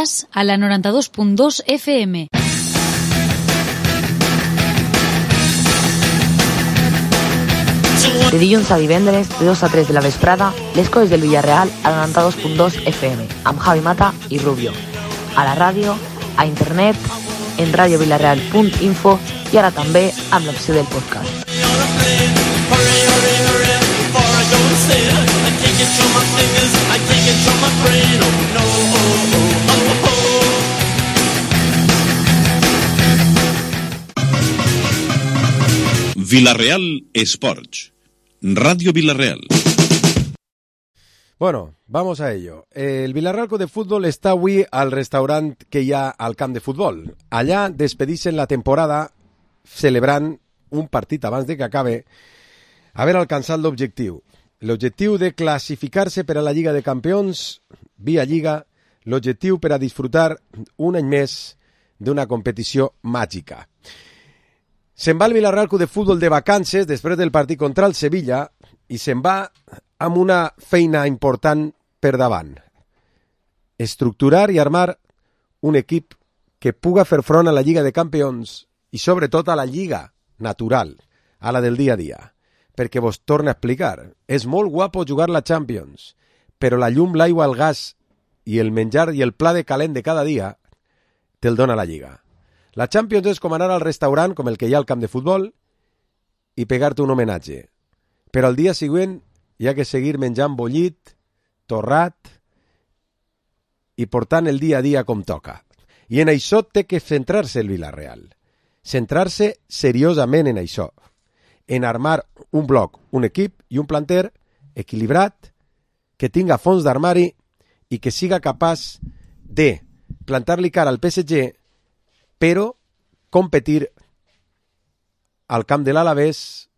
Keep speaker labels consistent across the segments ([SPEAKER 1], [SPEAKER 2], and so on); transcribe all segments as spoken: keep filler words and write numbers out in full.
[SPEAKER 1] a la noranta-dos punt dos F M.
[SPEAKER 2] De dilluns a divendres, de dos a tres de la vesprada, les coses del Villarreal a la noranta-dos punt dos F M, amb Javi Mata i Rubio. A la ràdio, a internet, en radio villarreal punt info i ara també amb l'opció del podcast.
[SPEAKER 3] Villarreal Sports, Radio Villarreal.
[SPEAKER 4] Bueno, vamos a ello. El Villarreal Club de Fútbol està avui al restaurant que hi ha al camp de futbol. Allà despedixen la temporada celebrant un partit abans de que acabe haver alcançat l'objectiu. L'objectiu de classificar-se per a la Lliga de Campions via Lliga, l'objectiu per a disfrutar un any més d'una competició màgica. Se'n va el Villarreal Club de Futbol de vacances després del partit contra el Sevilla i se'n va amb una feina important per davant. Estructurar i armar un equip que puga fer front a la Lliga de Campions i sobretot a la Lliga natural, a la del dia a dia. Perquè vos torno a explicar, és molt guapo jugar la Champions, però la llum, l'aigua, el gas i el menjar i el pla de calent de cada dia te'l dona la Lliga. La Champions és com anar al restaurant, com el que hi ha al camp de futbol, i pegar-te un homenatge. Però al dia següent hi ha que seguir menjant bollit, torrat i portant el dia a dia com toca. I en això té que centrar-se el Villarreal. Centrar-se seriosament en això. En armar un bloc, un equip i un planter equilibrat, que tinga fons d'armari i que siga capaç de plantar-li cara al P S G, però competir al camp de l'Alavés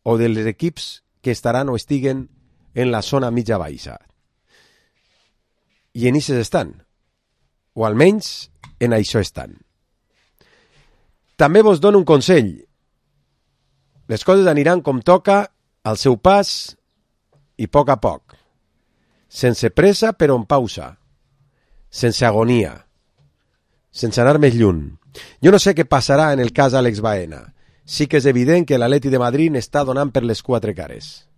[SPEAKER 4] o dels equips que estaran o estiguen en la zona mitja baixa. I en ixes estan, o almenys en això estan. També vos dono un consell. Les coses aniran com toca, al seu pas i a poc a poc. Sense pressa però en pausa. Sense agonia. Sense anar més lluny. Jo no sé què passarà en el cas Àlex Baena. Sí que és evident que l'Atleti de Madrid està donant per les quatre cares.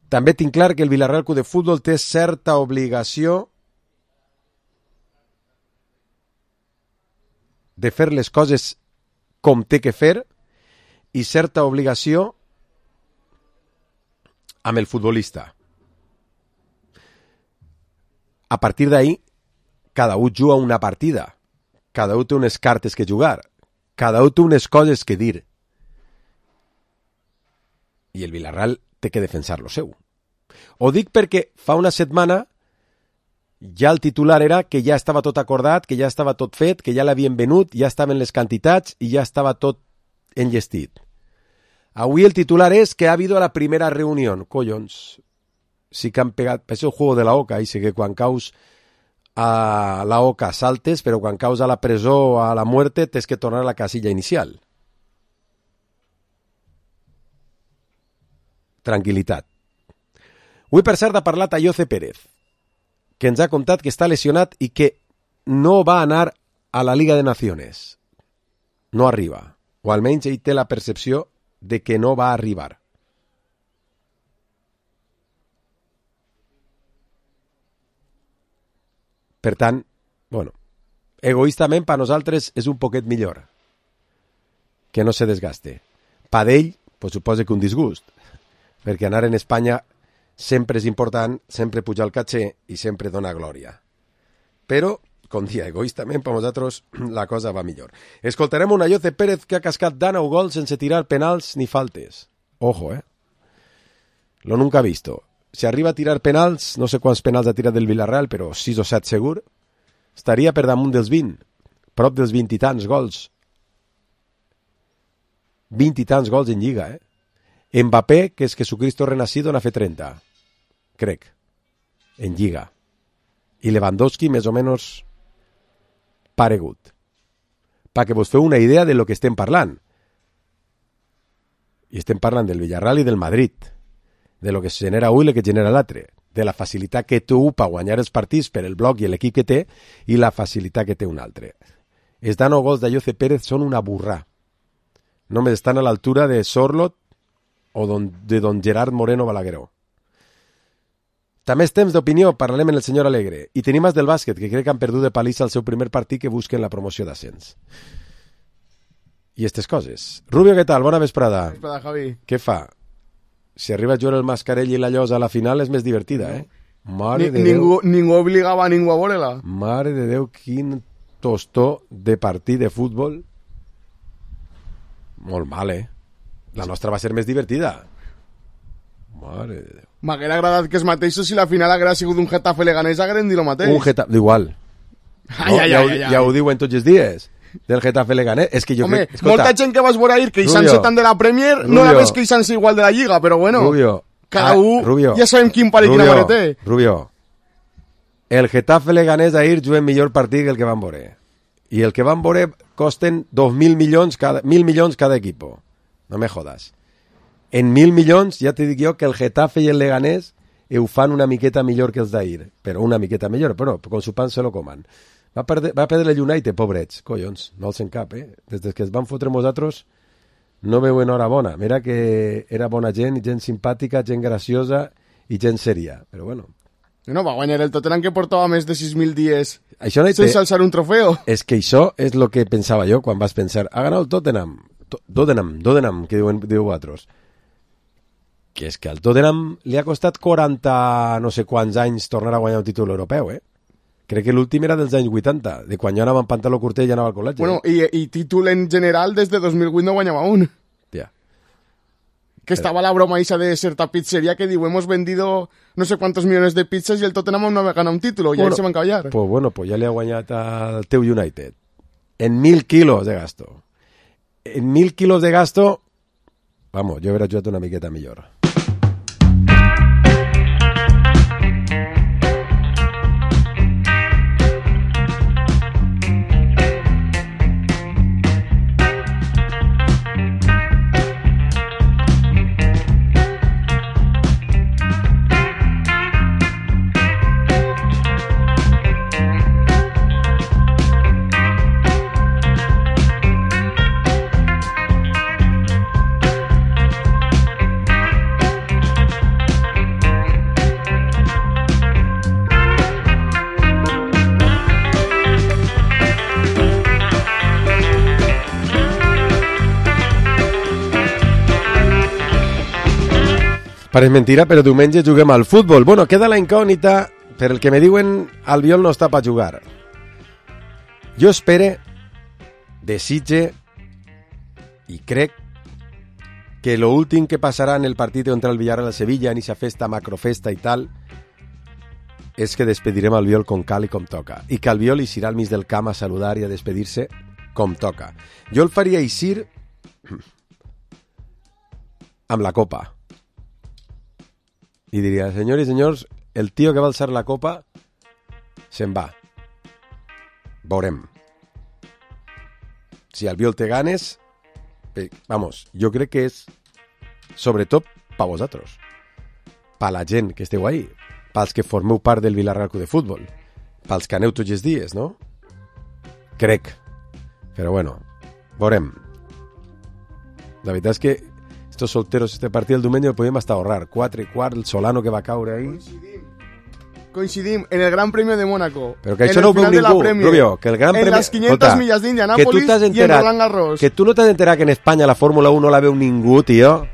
[SPEAKER 4] També tinc clar que el Villarreal Club de Futbol té certa obligació de fer les coses com té que fer i certa obligació amb el futbolista. A partir d'ahí, cada un juga una partida, cada un té unes cartes que jugar, cada un té unes coses que dir. I el Villarreal té que defensar lo seu. Ho dic perquè fa una setmana ja el titular era que ja estava tot acordat, que ja estava tot fet, que ja l'havien venut, ja estaven les quantitats i ja estava tot enllestit. Avui el titular és que ha habido la primera reunión. Collons, sí que han pegat, és el juego de la oca, i sé que quan caus a la oca saltes, però quan caus a la presó o a la muerte tens que tornar a la casilla inicial. Tranquilitat. Avui, per cert, ha parlat Ayoce Pérez, que ens ha contat que està lesionat i que no va anar a la Liga de Naciones. No arriba. O almenys ell té la percepció de que no va arribar. Per tant, bueno, egoístament per nosaltres és un poquet millor que no se desgaste. Per ell, pues, suposa que un disgust, perquè anar en Espanya sempre és important, sempre puja el caché i sempre dona glòria. Però, com dia, egoístament per nosaltres la cosa va millor. Escoltarem un Ayoce Pérez que ha cascat dinou gols sense tirar penals ni faltes. Ojo, eh? Lo nunca visto. Si arriba a tirar penals, no sé quants penals ha tirat del Villarreal, però sis o set segur, estaria per damunt dels vint, prop dels vint i tants gols. vint i tants gols en Lliga, eh? Mbappé, que és Jesucristo renacido, n'ha fet trenta, crec, en Lliga. I Lewandowski, més o menys, paregut. Perquè vos feu una idea de lo que estem parlant. I estem parlant del Villarreal i del Madrid, de lo que se genera avui i el que genera l'altre. de la facilitat que té un per guanyar els partits per el bloc i l'equip que té i la facilitat que té un altre. Els dano gols d'Ayoce Pérez són una burrà. Només estan a l'altura de Sorlot o don, de don Gerard Moreno Balagueró. També és temps d'opinió, parlarem amb el senyor Alegre. I tenim més del bàsquet, que crec que han perdut de palissa el seu primer partit que busquen la promoció d'ascens. I aquestes coses. Rubio, què tal? Bona vesprada.
[SPEAKER 5] Vesprada, Javi.
[SPEAKER 4] Què fa? Si arriba a jugar el Mascarell i la Llosa a la final és més divertida, eh? Mare
[SPEAKER 5] Ni,
[SPEAKER 4] de
[SPEAKER 5] ningú,
[SPEAKER 4] Déu.
[SPEAKER 5] ningú obligava a ningú a veure-la.
[SPEAKER 4] Mare de Déu, quin tostó de partit de futbol. Molt mal, eh? La nostra va ser més divertida. Mare de Déu.
[SPEAKER 5] M'haguera agradat que els mateixos, si la final haguera sigut un Getafe Leganés, hagueren dit el mateix.
[SPEAKER 4] Un Getafe, igual.
[SPEAKER 5] Ai, ai,
[SPEAKER 4] ja,
[SPEAKER 5] ai,
[SPEAKER 4] ho,
[SPEAKER 5] ai, ai.
[SPEAKER 4] ja ho diuen tots els dies del Getafe Leganés. És que jo
[SPEAKER 5] Home,
[SPEAKER 4] crec... Escolta,
[SPEAKER 5] molta gent que vas veure ahir queixant-se
[SPEAKER 4] Rubio,
[SPEAKER 5] tant de la Premier,
[SPEAKER 4] Rubio,
[SPEAKER 5] no la ves queixant-se igual de la Lliga, però bueno,
[SPEAKER 4] Rubio,
[SPEAKER 5] cada
[SPEAKER 4] ah,
[SPEAKER 5] un,
[SPEAKER 4] Rubio,
[SPEAKER 5] ja sabem quin pare i quina mare té.
[SPEAKER 4] Rubio, el Getafe Leganés ahir juguen millor partit que el que van veure. I el que van veure costen dos mil milions cada, mil milions cada equipo. No me jodas. En mil milions, ja te dic jo que el Getafe i el Leganés ho fan una miqueta millor que els d'ahir. Però una miqueta millor, però con su pan se lo coman. Va perdre, va perdre el United, pobrets. Collons, no els en cap, eh? Des que es van fotre nosaltres no veuen hora bona. Mira que era bona gent, gent simpàtica, gent graciosa i gent seria. Però bueno.
[SPEAKER 5] No, va guanyar el Tottenham que portava més de sis mil dies
[SPEAKER 4] Això no
[SPEAKER 5] sense alçar un trofeo.
[SPEAKER 4] És que això és el que pensava jo quan vas pensar, ha ganat el Tottenham. Tottenham, Tottenham, que diuen, diu vosaltres. Que és que al Tottenham li ha costat quaranta no sé quants anys tornar a guanyar un títol europeu, eh? Crec que l'últim era dels anys vuitanta, de quan jo anava en pantaló curtet i anava al col·legi.
[SPEAKER 5] Bueno,
[SPEAKER 4] eh?
[SPEAKER 5] i, i títol en general des de dos mil vuit no guanyava un.
[SPEAKER 4] Ja.
[SPEAKER 5] Que estaba la broma esa de cierta pizzería que digo, hemos vendido no sé cuántos millones de pizzas y el Tottenham no ha ganado un título, y
[SPEAKER 4] Bueno,
[SPEAKER 5] ahí se van a callar.
[SPEAKER 4] Pues bueno, pues ja li ha guanyat al teu United. En mil quilos de gasto. En mil quilos de gasto, vamos, jo hauria jugat una miqueta millor. Pareix mentira, però diumenge juguem al futbol. Bueno, queda la incògnita, per el que me diuen Albiol no està per jugar. Jo espere, desitge i crec que lo últim que passarà en el partit contra el Villarreal a Sevilla, en esa festa, macrofesta i tal, és que despedirem Albiol com cal i com toca. I que Albiol hi serà al mig del camp a saludar i a despedir-se com toca. Jo el faria eixir amb la copa. I diria, senyors i senyors, el tio que va alçar la copa se'n va. Veurem. Si Albiol té ganes, eh, vamos, jo crec que és sobretot pa vosaltres, pa la gent que esteu ahí, pels que formeu part del Villarreal Club de Futbol, pels que aneu tots els dies, no? Crec. Però bueno, veurem. La veritat és que estos solteros, este partit del diumenge el podíem hasta ahorrar. Quatre i quart, el Solano que va caure ahí.
[SPEAKER 5] Coincidim. Coincidim en el Gran Premio de Mónaco.
[SPEAKER 4] Però que això no ho veu ningú, Rubio, que el Gran
[SPEAKER 5] en
[SPEAKER 4] Premi...
[SPEAKER 5] les quinientas millas d'Indianápolis i en Roland Garros.
[SPEAKER 4] Que tu no t'has enterat que en Espanya la Fórmula uno no la veu ningú, tio.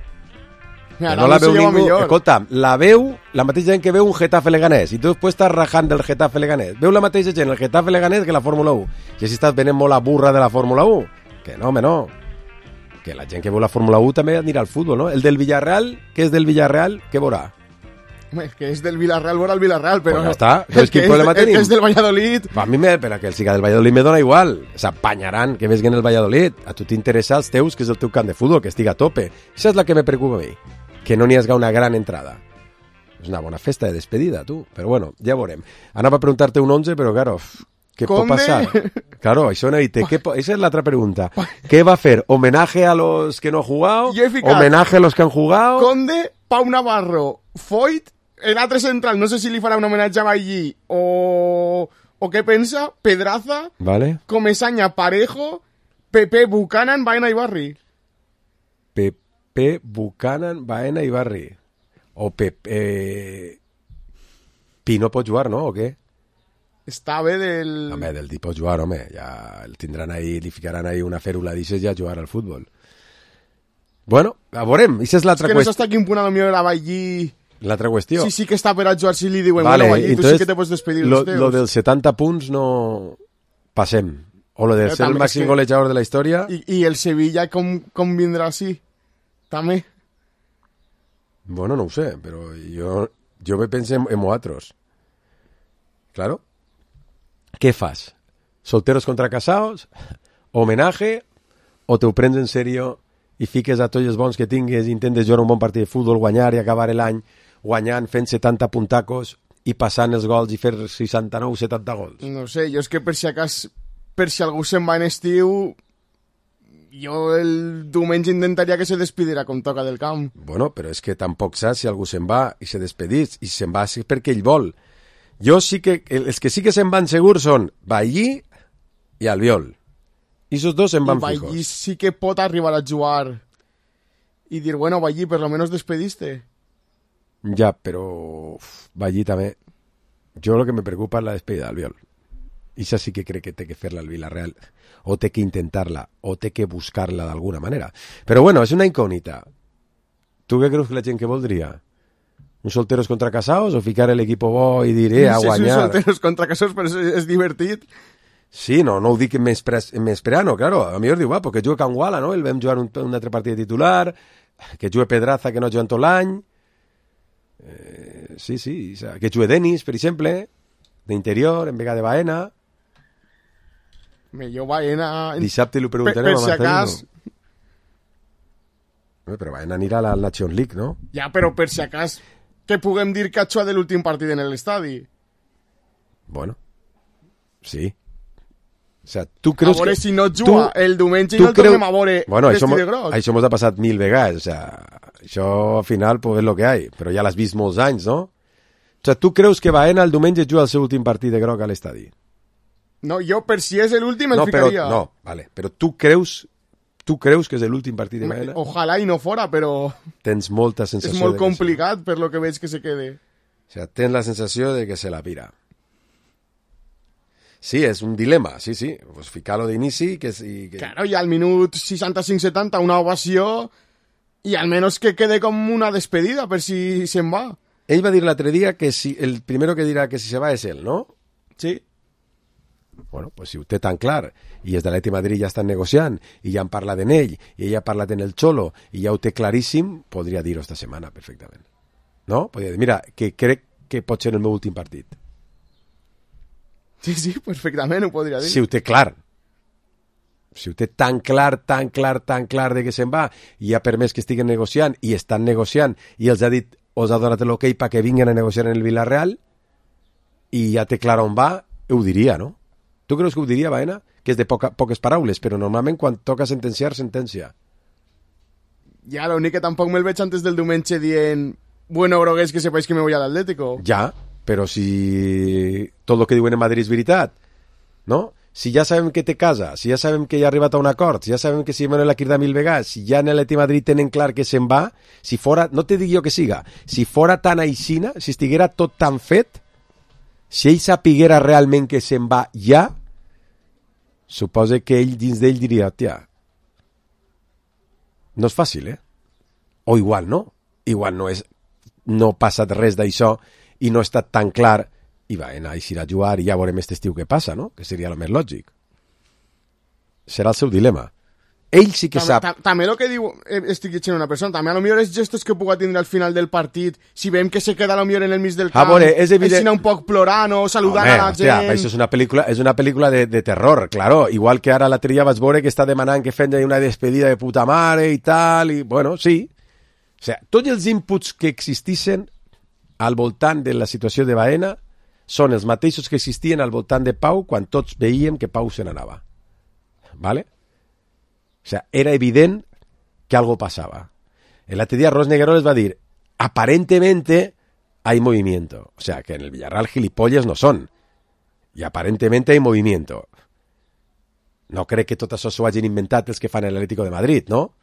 [SPEAKER 5] Mira,
[SPEAKER 4] no la veu ningú.
[SPEAKER 5] Millor.
[SPEAKER 4] Escolta, la veu la mateixa gent que veu un Getafe Leganés i tu després estàs rajant del Getafe Leganés. Veu la mateixa gent el Getafe Leganés que la Fórmula uno. I així estàs venent molt la burra de la Fórmula uno. Que no, home, no. Que la gent que veu la Fórmula uno també anirà al futbol, no? El del Villarreal, que és del Villarreal, què veurà?
[SPEAKER 5] Home, que és del Villarreal, veurà el Villarreal, però...
[SPEAKER 4] Pues ja està. Entonces, ¿qué problema
[SPEAKER 5] tenim? El que és del Valladolid...
[SPEAKER 4] A mi, me, però que el siga del Valladolid me dona igual. S'apanyaran que vesguen el Valladolid. A tu t'interessa els teus, que és el teu camp de futbol, que estiga a tope. Això és la que me preocupa a mi. Que no n'hi hagi una gran entrada. És una bona festa de despedida, tu. Però bueno, ja veurem. Anava a preguntar-te un once, però claro... ¿Qué puede pasar? Claro, eso no hay te. ¿Qué, esa es la otra pregunta. ¿Qué va a hacer? ¿Homenaje a los que no han jugado? ¿Homenaje a los que han jugado?
[SPEAKER 5] Conde, Pau Navarro, Foyt l'altre central, no sé si li farà un homenatge a Ballí o, o què pensa, Pedraza,
[SPEAKER 4] Vale.
[SPEAKER 5] Comesaña, Parejo, Pepe, Buchanan, Baena i Barri.
[SPEAKER 4] Pepe, Buchanan, Baena i Barri. O Pepe... Eh... Pino pot jugar, no? O què?
[SPEAKER 5] Està bé del...
[SPEAKER 4] Home, del dit pot jugar, home. Ja el tindran ahí, li ficaran ahí una fèrula d'ixes i a jugar al futbol. Bueno, a veurem. Això és l'altra
[SPEAKER 5] és que no
[SPEAKER 4] qüestió.
[SPEAKER 5] s'està quin punt a lo millor a Ballí...
[SPEAKER 4] L'altra qüestió.
[SPEAKER 5] Sí, sí que està per a jugar si li diuen,
[SPEAKER 4] Vale,
[SPEAKER 5] bueno, Ballí, tu
[SPEAKER 4] entonces,
[SPEAKER 5] sí que te pots despedir
[SPEAKER 4] lo,
[SPEAKER 5] dels teus.
[SPEAKER 4] lo dels setanta punts no... Passem. O lo de
[SPEAKER 5] Però
[SPEAKER 4] ser el
[SPEAKER 5] també és
[SPEAKER 4] màxim
[SPEAKER 5] que-
[SPEAKER 4] golejador de la història...
[SPEAKER 5] I, I el Sevilla com, com vindrà així? També.
[SPEAKER 4] Bueno, no ho sé, però jo, jo me penso en, en vosaltres. Claro. ¿Qué fas? ¿Solteros contra casados? ¿Homenaje? ¿O te ho prens en serio i fiques a tots els bons que tingues i intentes jugar un bon partit de futbol, guanyar i acabar l'any guanyant, fent setanta puntacos i passant els gols i fer seixanta-nou setanta gols?
[SPEAKER 5] No sé, jo és que per si acas, per si algú se'n va en estiu, jo el diumenge intentaria que se despidirà com toca del camp.
[SPEAKER 4] Bueno, però és que tampoc saps si algú se'n va i se despedís, i se'n va és perquè ell vol. Jo sí que, els que sí que se'n van segurs són Ballí i Albiol. I esos dos se'n van
[SPEAKER 5] I
[SPEAKER 4] fijos.
[SPEAKER 5] Ballí sí que pot arribar a jugar i dir, bueno, Ballí, per lo menos despediste.
[SPEAKER 4] Ja, però uf, Ballí també. Jo el que me preocupa és la despedida d'Albiol. Ixa sí que crec que té que fer-la al Villarreal, o té que intentar-la, o té que buscar-la d'alguna manera. Però bueno, és una incògnita. Tu què creus que la gent que voldria? Un solteros contra casados o ficar l'equip bo i dir, eh, a
[SPEAKER 5] No sé si
[SPEAKER 4] guanyar?
[SPEAKER 5] són solteros contra casos, però és, és divertit.
[SPEAKER 4] Sí, no, no ho dic m'esperano, claro. A millor diu, va, perquè juga Can Guala, no? El vam jugar un, un altre partit de titular, que jugue Pedraza, que no juga en tot l'any. Eh, sí, sí, o sea, que jugue Denis, per exemple, d'interior, en vega de Baena.
[SPEAKER 5] Me jo Baena...
[SPEAKER 4] Dissabte li ho
[SPEAKER 5] Per,
[SPEAKER 4] preguntarem
[SPEAKER 5] per
[SPEAKER 4] a
[SPEAKER 5] si
[SPEAKER 4] Marcelino.
[SPEAKER 5] acas...
[SPEAKER 4] Bé, però Baena anirà a la Nations League, no?
[SPEAKER 5] Ja, però per si acas que puguem dir que ha jugat l'últim partit en l'estadi.
[SPEAKER 4] Bueno, sí. O sea, tu creus
[SPEAKER 5] a veure
[SPEAKER 4] que...
[SPEAKER 5] si no juga
[SPEAKER 4] tu-
[SPEAKER 5] el diumenge i
[SPEAKER 4] tu
[SPEAKER 5] no el
[SPEAKER 4] creu-
[SPEAKER 5] tornem a veure
[SPEAKER 4] bueno, això,
[SPEAKER 5] vestit
[SPEAKER 4] mo-
[SPEAKER 5] de groc.
[SPEAKER 4] això mos ha passat mil vegades, o sea, això al final pues, és lo que hay, però ja l'has vist molts anys, no? O sea, tu creus que Baena el diumenge juga el seu últim partit de groc a l'estadi?
[SPEAKER 5] No, jo per si és l'últim el
[SPEAKER 4] No, però,
[SPEAKER 5] ficaria.
[SPEAKER 4] no, vale, però tu creus tu creus que és l'últim partit de Baena?
[SPEAKER 5] Ojalà i no fora, però
[SPEAKER 4] Tens molta
[SPEAKER 5] és
[SPEAKER 4] sensació
[SPEAKER 5] molt
[SPEAKER 4] de que
[SPEAKER 5] complicat per lo que veig que se quede.
[SPEAKER 4] sí. O sea, tens la sensació de que se la pira. Sí, és un dilema, sí, sí. Pues ficar-lo d'inici que, i que...
[SPEAKER 5] Claro, i al minut seixanta-cinc setanta una ovació i almenys que quede com una despedida per si se'n va.
[SPEAKER 4] Ell va dir l'altre dia que si, el primero que dirà que si se va és ell, no?
[SPEAKER 5] Sí.
[SPEAKER 4] Bueno, pues si ho té tan clar i els de l'Atleti Madrid ja estan negociant i ja han parlat en ell i ell ha parlat en el Xolo i ja ho té claríssim, podria dir-ho esta setmana perfectament. No? Podria dir, mira, que crec que pot ser el meu últim partit.
[SPEAKER 5] Sí, sí, perfectament ho podria dir.
[SPEAKER 4] Si ho té clar. Si ho té tan clar, tan clar, tan clar de que se'n va i ha permès que estiguen negociant i estan negociant i els ha dit, us ha donat l'ok perquè vinguin a negociar en el Villarreal i ja té clar on va, ho diria, no? Tu creus que ho diria, Baena? Que és de poca, poques paraules, però normalment quan toca sentenciar, sentencia.
[SPEAKER 5] Ja, l'únic que tampoc me'l veig antes del diumenge dient bueno, groguers, que sepáis que me voy al Atlético.
[SPEAKER 4] Ja, però si tot el que diuen en Madrid és veritat, no? Si ja sabem que té casa, si ja sabem que ja ha arribat a un acord, si ja sabem que Simeone l'ha cridat mil vegades, si ja en l'Atleti Madrid tenen clar que se'n va, si fora, no te dic jo que siga, si fora tan aixina, si estiguera tot tan fet, si ell sapiguera realment que se'n va ja, suposa que ell dins d'ell diria, tia, no és fàcil, eh? O igual no, igual no és, no ha passat res d'això i no ha estat tan clar i va anar a eixir a jugar i ja veurem aquest estiu què passa, no? Que seria el més lògic. Serà el seu dilema. Ell sí que
[SPEAKER 5] Tam,
[SPEAKER 4] sap...
[SPEAKER 5] tam, també el que diu, eh, estic llegint una persona, també a lo millor els gestos que puga tindre al final del partit, si veiem que se queda a lo millor en el mig del camp,
[SPEAKER 4] veure, és evident-
[SPEAKER 5] així un poc plorant o saludant
[SPEAKER 4] Home,
[SPEAKER 5] a la
[SPEAKER 4] hòstia,
[SPEAKER 5] gent...
[SPEAKER 4] això és una pel·lícula, és una pel·lícula de, de terror, claro. Igual que ara l'altre dia vaig veure que està demanant que fem una despedida de puta mare i tal, i bueno, sí. O sigui, tots els inputs que existissin al voltant de la situació de Baena són els mateixos que existien al voltant de Pau quan tots veiem que Pau se n'anava. ¿Vale? O sea, era evident que algo passava. L'altre dia Ros Negueroles va dir, aparentemente hay movimiento. O sea, que en el Villarreal gilipollas no son. I aparentemente hay movimiento. No crec que tot això s'ho hagin inventat els que fan l'Atlético de Madrid, no?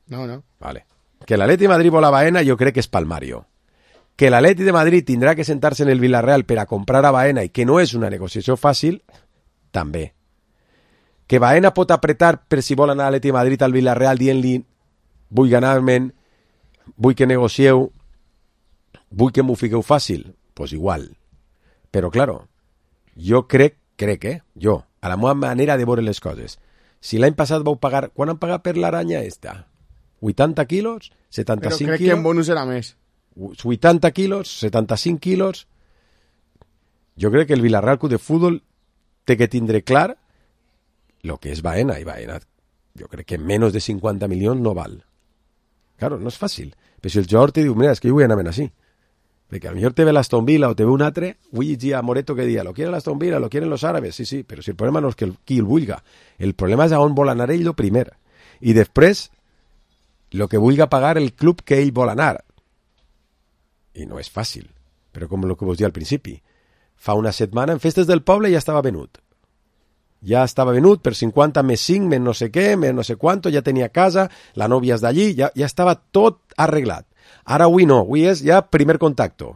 [SPEAKER 5] No, no.
[SPEAKER 4] Vale. Que l'Atleti de Madrid vol a Baena, jo crec que és palmario. Que l'Atleti de Madrid tindrà que sentar-se en el Villarreal per a comprar a Baena i que no és una negociació fàcil, també. Que Baena pot apretar per si vol anar a l'Atleti de Madrid al Villarreal dient-li vull ganar-me'n, vull que negocieu, vull que m'ho fiqueu fàcil, doncs pues igual. Però, claro, jo crec, crec, eh, jo, a la meva manera de veure les coses, si l'any passat vau pagar, quan han pagat per l'aranya esta? vuitanta quilos? setanta-cinc
[SPEAKER 5] Però crec
[SPEAKER 4] quilos?
[SPEAKER 5] que en bonus era més.
[SPEAKER 4] vuitanta quilos? setanta-cinc quilos? Jo crec que el Villarreal Club de Fútbol té que tindre clar lo que és Baena, i Baena jo crec que menys de cinquanta milions no val. Claro, no és fàcil. Però si el jugador te diu, mira, és que jo vull anar així. Perquè a lo mejor te ve l'Aston Villa o te ve un altre, vull llegir a Moreto que dia, lo quieren l'Aston Villa, lo quieren los árabes, sí, sí, però si el problema no és que el, qui el vulga, el problema és a on vol anar ell lo primer. I després, lo que vulga pagar el club que ell vol anar. I no és fàcil, però com el que vos dia al principi. Fa una setmana en Festes del Poble ja estava venut. Ja estava venut per cinquanta més cinc, més no sé què, més no sé quanto, ja tenia casa, la nòvia és d'allí, ja, ja estava tot arreglat. Ara avui no, avui és ja primer contacto.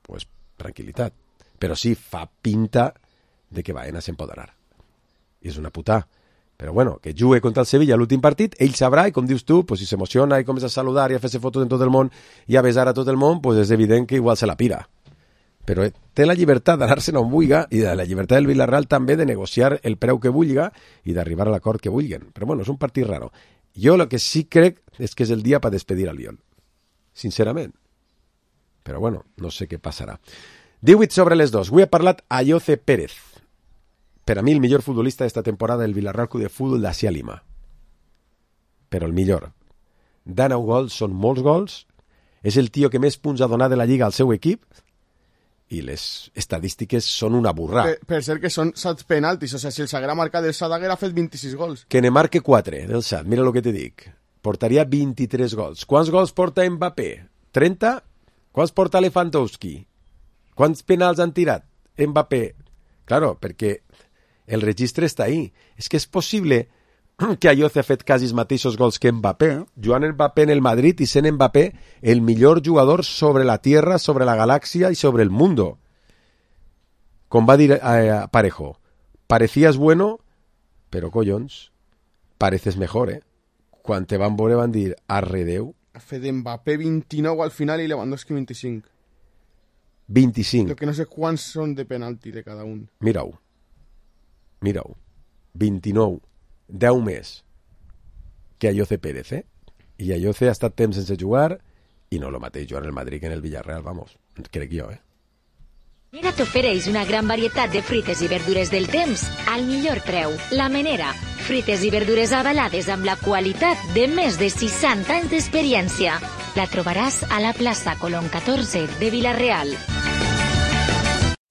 [SPEAKER 4] Pues tranquil·litat. Però sí, fa pinta de que Baena se'n pot anar. I és una puta. Però bueno, que jugue contra el Sevilla l'últim partit, ell sabrà, i com dius tu, pues si s'emociona i comença a saludar i a fer-se fotos en tot el món i a besar a tot el món, pues és evident que igual se la pira. Però té la llibertat d'anar-se'n on vulga i de la llibertat del Villarreal també de negociar el preu que vulga i d'arribar a l'acord que vulguen. Però bueno, és un partit raro. Jo el que sí crec és que és el dia per despedir al Lyon. Sincerament. Però bueno, no sé què passarà. divuit sobre les dos. Avui ha parlat Ayoce Pérez. Per a mi el millor futbolista d'esta temporada del Villarreal Club de Fútbol d'Asia Lima. Però el millor. dinou gols, són molts gols. És el tio que més punts ha donat de la Lliga al seu equip. I les estadístiques són una burrà.
[SPEAKER 5] Per, per ser que són set penaltis, o sigui, si el s'haguera marcat el Sad haguera fet vint-i-sis gols.
[SPEAKER 4] Que ne marque quatre del Sad, mira el que te dic. Portaria vint-i-tres gols. Quants gols porta Mbappé? trenta? Quants porta Lewandowski? Quants penals han tirat Mbappé? Claro, perquè el registre està ahí. És que és possible que Ayoce ha fet quasi els mateixos gols que Mbappé. Joan Mbappé en el Madrid i sent Mbappé el millor jugador sobre la tierra, sobre la galàxia i sobre el mundo. Com va dir eh, Parejo, parecías bueno, però collons, pareces mejor, eh? Quan te van veure van dir, arredeu.
[SPEAKER 5] Ha fet Mbappé vint-i-nou al final i Lewandowski vint-i-cinc.
[SPEAKER 4] vint-i-cinc.
[SPEAKER 5] Lo que no sé quants són de penalti de cada un.
[SPEAKER 4] Mira-ho. Mira-ho. vint-i-nou. deu més que Ayoce Pérez, eh? I Ayoce ha estat temps sense jugar i no lo mateix jugar en el Madrid que en el Villarreal, vamos, crec jo, eh?
[SPEAKER 6] Menera t'ofereix una gran varietat de fruites i verdures del temps al millor preu. La Menera, fruites i verdures avalades amb la qualitat de més de seixanta anys d'experiència. La trobaràs a la plaça Colón catorze de Villarreal.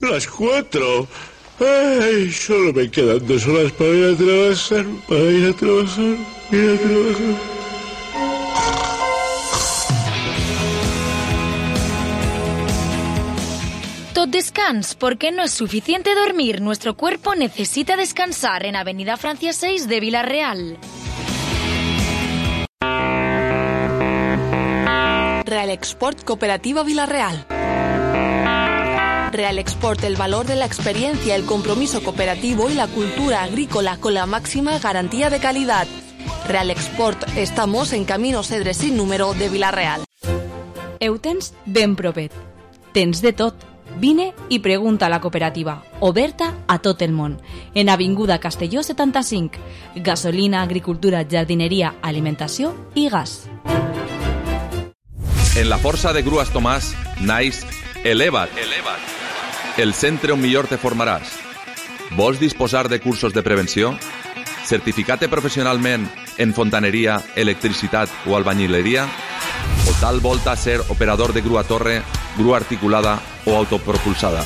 [SPEAKER 7] Las cuatro. Ay, solo me quedan dos horas para ir a trabajar, para ir a trabajar, ir a trabajar.
[SPEAKER 1] Tot descans, porque no es suficiente dormir. Nuestro cuerpo necesita descansar en Avenida Francia seis de Villarreal.
[SPEAKER 8] Real Export Cooperativa Villarreal. Real Export, el valor de la experiencia, el compromiso cooperativo y la cultura agrícola con la máxima garantía de calidad. Real Export, estamos en Camino Cedre sin número de Villarreal.
[SPEAKER 9] Ho tens ben propet. Tens de tot. Vine i pregunta a la cooperativa, oberta a tot el món. En Avinguda Castelló setanta-cinc. Gasolina, agricultura, jardineria, alimentació i gas.
[SPEAKER 10] En la força de Grues Tomàs naix Eleva't. Eleva't. El centre on millor te formaràs. Vols disposar de cursos de prevenció? Certificat professionalment en fontaneria, electricitat o albañileria? O tal volta ser operador de grua torre, grua articulada o autopropulsada?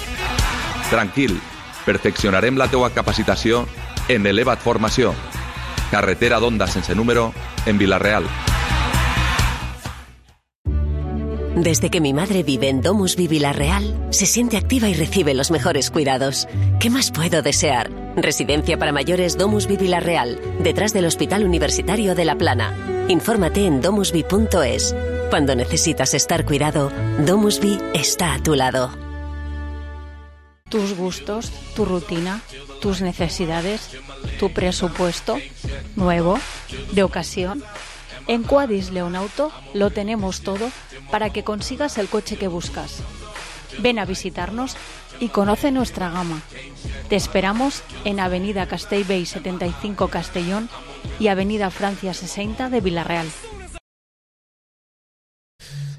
[SPEAKER 10] Tranquil, perfeccionarem la teua capacitació en Eleva't Formació. Carretera d'Onda sense número en Villarreal.
[SPEAKER 11] Desde que mi madre vive en Domusvi Vilarreal, se siente activa y recibe los mejores cuidados. ¿Qué más puedo desear? Residencia para mayores Domusvi Vilarreal, detrás del Hospital Universitario de La Plana. Infórmate en domusvi punto es. Cuando necesitas estar cuidado, Domusvi está a tu lado.
[SPEAKER 12] Tus gustos, tu rutina, tus necesidades, tu presupuesto, nuevo, de ocasión. En Quadis Leonauto lo tenemos todo para que consigas el coche que buscas. Ven a visitarnos y conoce nuestra gama. Te esperamos en Avenida Castellbell setenta y cinco Castellón y Avenida Francia sesenta de Vilarreal.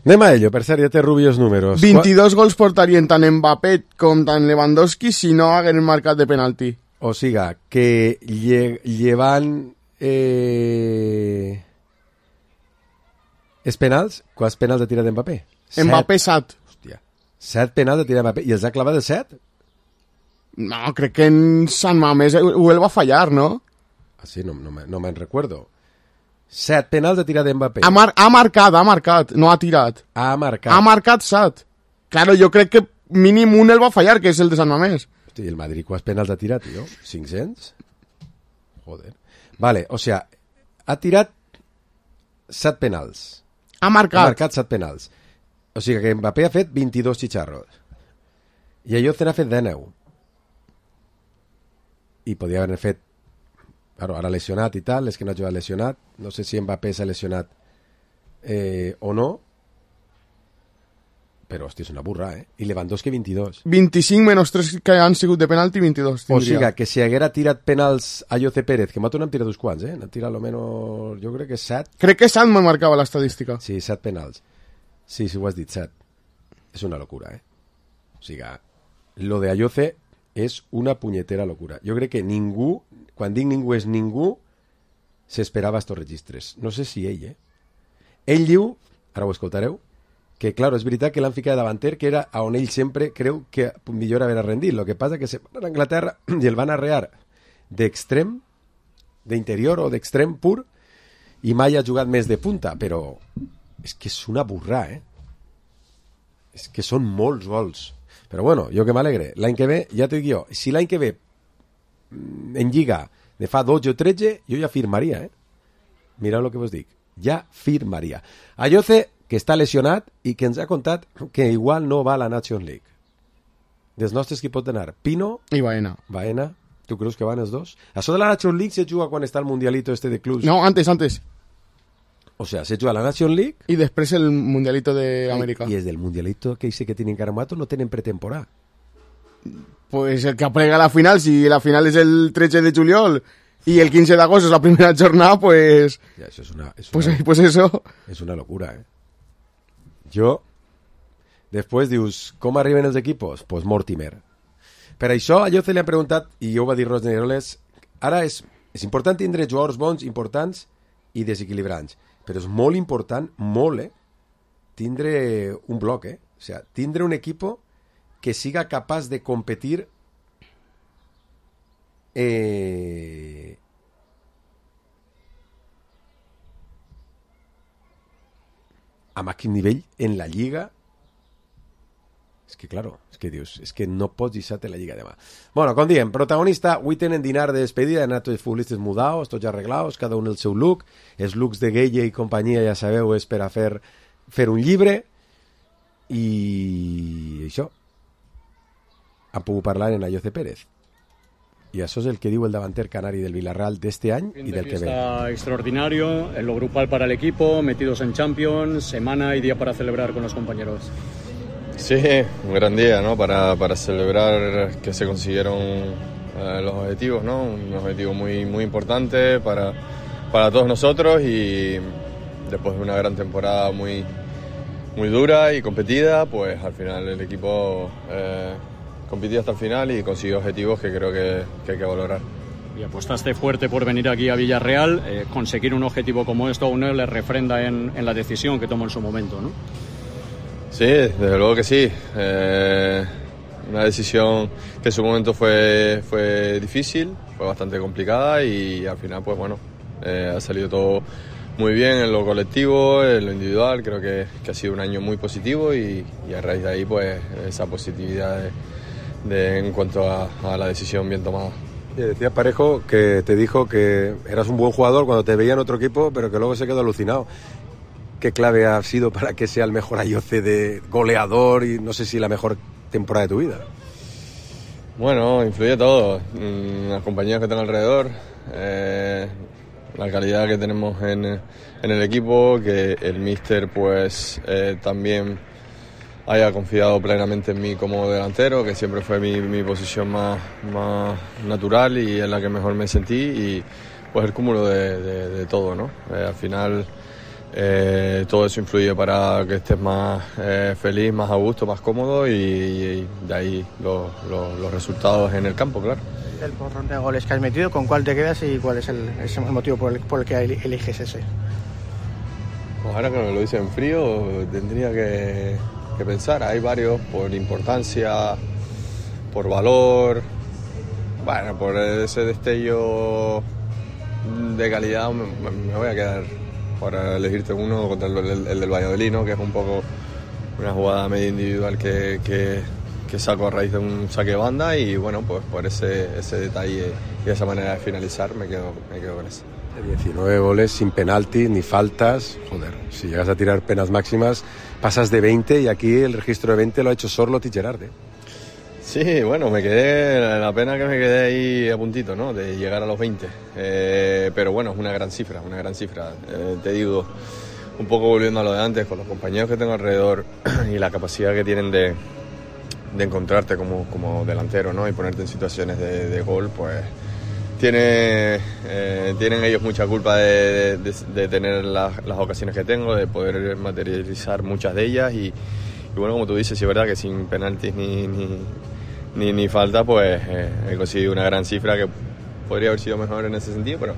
[SPEAKER 4] Anem a ello, per cert, ja té Rubio els números.
[SPEAKER 5] vint-i-dos gols portarien tant Mbappé com tant Lewandowski si no hagueren marcat de penalti.
[SPEAKER 4] O siga, que lle llevant... Eh... Els penals? Quants penals ha tirat Mbappé?
[SPEAKER 5] Mbappé set.
[SPEAKER 4] Hòstia, set penals ha tirat Mbappé. I els ha clavat el set?
[SPEAKER 5] No, crec que en Sant Mamés ho el va fallar, no?
[SPEAKER 4] Ah, sí, no, no, no me'n recuerdo. Set penals ha tirat Mbappé.
[SPEAKER 5] Ha, mar ha marcat, ha marcat, no ha tirat.
[SPEAKER 4] Ha marcat.
[SPEAKER 5] Ha marcat set. Claro, jo crec que mínim un el va fallar, que és el de Sant Mamés.
[SPEAKER 4] Hosti, el Madrid quants penals ha tirat, tio? cinc-cents? Joder. Vale, o sea, ha tirat set penals.
[SPEAKER 5] Ha marcat.
[SPEAKER 4] Ha marcat set penals. O sigui que Mbappé ha fet vint-i-dos xicharros. I Ayoce n'ha fet dinou. I podia haver fet... Claro, ara lesionat i tal, és que no ha jugat lesionat. No sé si Mbappé s'ha lesionat eh, o no. Però, hòstia, és una burra, eh? I Lewandowski vint-i-dos.
[SPEAKER 5] vint-i-cinc menys tres que han sigut de penalti, vint-i-dos.
[SPEAKER 4] Tindria. O sigui que si haguera tirat penals a Ayoce Pérez, que m'ha n'han tirat uns quants, eh? N'han tirat almenys, jo crec que set.
[SPEAKER 5] Crec que set me marcava l'estadística.
[SPEAKER 4] Sí, set penals. Sí, sí, ho has dit, set. És una locura, eh? O sigui, lo de Ayoce és una punyetera locura. Jo crec que ningú, quan dic ningú és ningú, s'esperava estos registres. No sé si ell, eh? Ell diu, ara ho escoltareu, que, claro, és veritat que l'han ficat davanter, que era on ell sempre creu que millor haver rendit. Lo que passa que se van a Anglaterra i el van arrear d'extrem, d'interior o d'extrem pur, i mai ha jugat més de punta, però és que és una burra, eh? És que són molts gols. Però bueno, jo que m'alegre. L'any que ve, ja t'ho dic jo, si l'any que ve en Lliga de fa dotze o tretze, jo ja firmaria, eh? Mireu el que vos dic. Ja firmaria. Ayoce, que està lesionat i que ens ha contat que igual no va a la Nations League. Dels nostres qui pot anar? Pino
[SPEAKER 5] i Baena.
[SPEAKER 4] Baena. Tu creus que van els dos? Això de la Nations League se juga quan està el Mundialito este de clubs.
[SPEAKER 5] No, antes, antes.
[SPEAKER 4] O sea, se juga la Nations League
[SPEAKER 5] y después el Mundialito de América.
[SPEAKER 4] Y es del Mundialito que dice que tienen Caramato, no tienen pretemporada.
[SPEAKER 5] Pues el que aplega la final, si la final es el tretze de juliol y el quince de agosto es la primera jornada, pues...
[SPEAKER 4] Ya, eso es una, es
[SPEAKER 5] pues,
[SPEAKER 4] una,
[SPEAKER 5] pues eso...
[SPEAKER 4] Es una locura, eh? Jo, després dius, com arriben els equipos? Pues Mortimer. Per això, a Ayoce li han preguntat, i jo ho va dir Rosneroles, ara és, és important tindre jugadors bons, importants i desequilibrants, però és molt important, molt, eh, tindre un bloc, eh? O sea, tindre un equipo que siga capaç de competir eh, a màxim nivell en la Lliga. És que, claro, és que dius, és que no pots deixar-te la Lliga demà. Bueno, com diem, protagonista, avui tenen dinar de despedida, han anat tots els futbolistes mudados, tots ja arreglados, cada un el seu look, els looks de Gueye i companyia, ja sabeu, és per a fer, fer un llibre, i això, han pogut parlar en Ayoce Pérez. Y eso es el que digo el davanter canario del Villarreal de este año y del que ve.
[SPEAKER 13] Extraordinario, en lo grupal para el equipo, metidos en Champions, semana y día para celebrar con los compañeros.
[SPEAKER 14] Sí, un gran día, ¿no? Para, para celebrar que se consiguieron eh, los objetivos, ¿no? Un objetivo muy, muy importante para, para todos nosotros y después de una gran temporada muy, muy dura y competida, pues al final el equipo... Eh, compitió hasta el final y consiguió objetivos que creo que, que hay que valorar.
[SPEAKER 13] Y apostaste fuerte por venir aquí a Villarreal, eh, conseguir un objetivo como esto aún no le refrenda en, en la decisión que tomó en su momento, ¿no?
[SPEAKER 14] Sí, desde luego que sí. Eh, una decisión que en su momento fue, fue difícil, fue bastante complicada y al final, pues bueno, eh, ha salido todo muy bien en lo colectivo, en lo individual. Creo que, que ha sido un año muy positivo y, y a raíz de ahí pues esa positividad de, de, en cuanto a, a la decisión bien tomada.
[SPEAKER 4] Y decía Parejo que te dijo que eras un buen jugador cuando te veía en otro equipo, pero que luego se quedó alucinado. ¿Qué clave ha sido para que sea el mejor Ayoce de goleador y no sé si la mejor temporada de tu vida?
[SPEAKER 14] Bueno, influye todo. Las compañías que tengo alrededor, eh, la calidad que tenemos en, en el equipo, que el míster pues eh, también haya confiado plenamente en mí como delantero, que siempre fue mi, mi posición más, más natural y en la que mejor me sentí, y pues el cúmulo de, de, de todo, ¿no? Eh, al final eh, todo eso influye para que estés más eh, feliz, más a gusto, más cómodo, y, y de ahí los, los, los resultados en el campo, claro.
[SPEAKER 15] El porrón de goles que has metido, ¿con cuál te quedas y cuál es el, es el motivo por el, por el que eliges ese?
[SPEAKER 14] Pues ahora que me lo dice en frío, tendría que, que pensar. Hay varios por importancia, por valor, bueno, por ese destello de calidad me, me voy a quedar para elegirte uno contra el, el, el del Valladolid, ¿no? Que es un poco una jugada medio individual que, que, que saco a raíz de un saque de banda, y bueno, pues por ese, ese detalle y esa manera de finalizar me quedo, me quedo con eso.
[SPEAKER 4] diecinueve goles sin penaltis ni faltas, joder, si llegas a tirar penas máximas pasas de veinte, y aquí el registro de veinte lo ha hecho Sorloth y Gerard, ¿eh?
[SPEAKER 14] Sí, bueno, me quedé, la pena que me quedé ahí a puntito, ¿no? De llegar a los veinte, eh, pero bueno, es una gran cifra, una gran cifra, eh, te digo, un poco volviendo a lo de antes, con los compañeros que tengo alrededor y la capacidad que tienen de, de encontrarte como, como delantero, ¿no? Y ponerte en situaciones de, de gol, pues tiene, eh, tienen ellos mucha culpa de, de, de tener las, las ocasiones que tengo, de poder materializar muchas de ellas, y, y bueno, como tú dices, sí es verdad que sin penaltis ni, ni, ni, ni falta, pues eh, he conseguido una gran cifra que podría haber sido mejor en ese sentido, pero,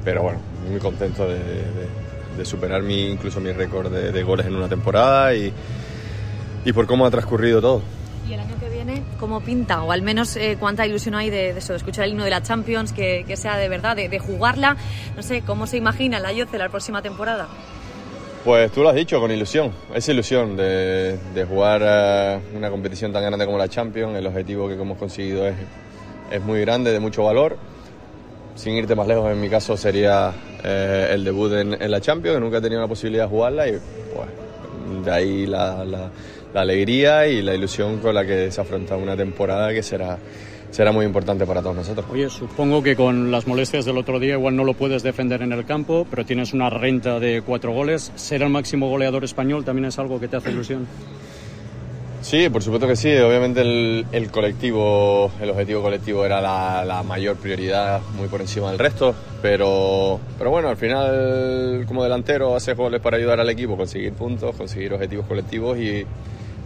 [SPEAKER 14] pero bueno, muy contento de, de, de superar mi, incluso mi récord de, de goles en una temporada, y, y por cómo ha transcurrido todo.
[SPEAKER 16] ¿Y el año que viene cómo pinta? O al menos eh, cuánta ilusión hay de, de eso, de escuchar el himno de la Champions, que, que sea de verdad, de, de jugarla. No sé, ¿cómo se imagina el Ayoce la próxima temporada?
[SPEAKER 14] Pues tú lo has dicho, con ilusión. Esa ilusión de, de jugar uh, una competición tan grande como la Champions. El objetivo que hemos conseguido es, es muy grande, de mucho valor. Sin irte más lejos, en mi caso sería eh, el debut en, en la Champions, que nunca he tenido la posibilidad de jugarla, y pues de ahí la... la la alegría y la ilusión con la que se afronta una temporada que será, será muy importante para todos nosotros.
[SPEAKER 13] Oye, supongo que con las molestias del otro día igual no lo puedes defender en el campo, pero tienes una renta de cuatro goles. ¿Ser el máximo goleador español también es algo que te hace ilusión?
[SPEAKER 14] Sí, por supuesto que sí. Obviamente el, el colectivo, el objetivo colectivo era la, la mayor prioridad, muy por encima del resto, pero, pero bueno, al final como delantero haces goles para ayudar al equipo, conseguir puntos, conseguir objetivos colectivos, y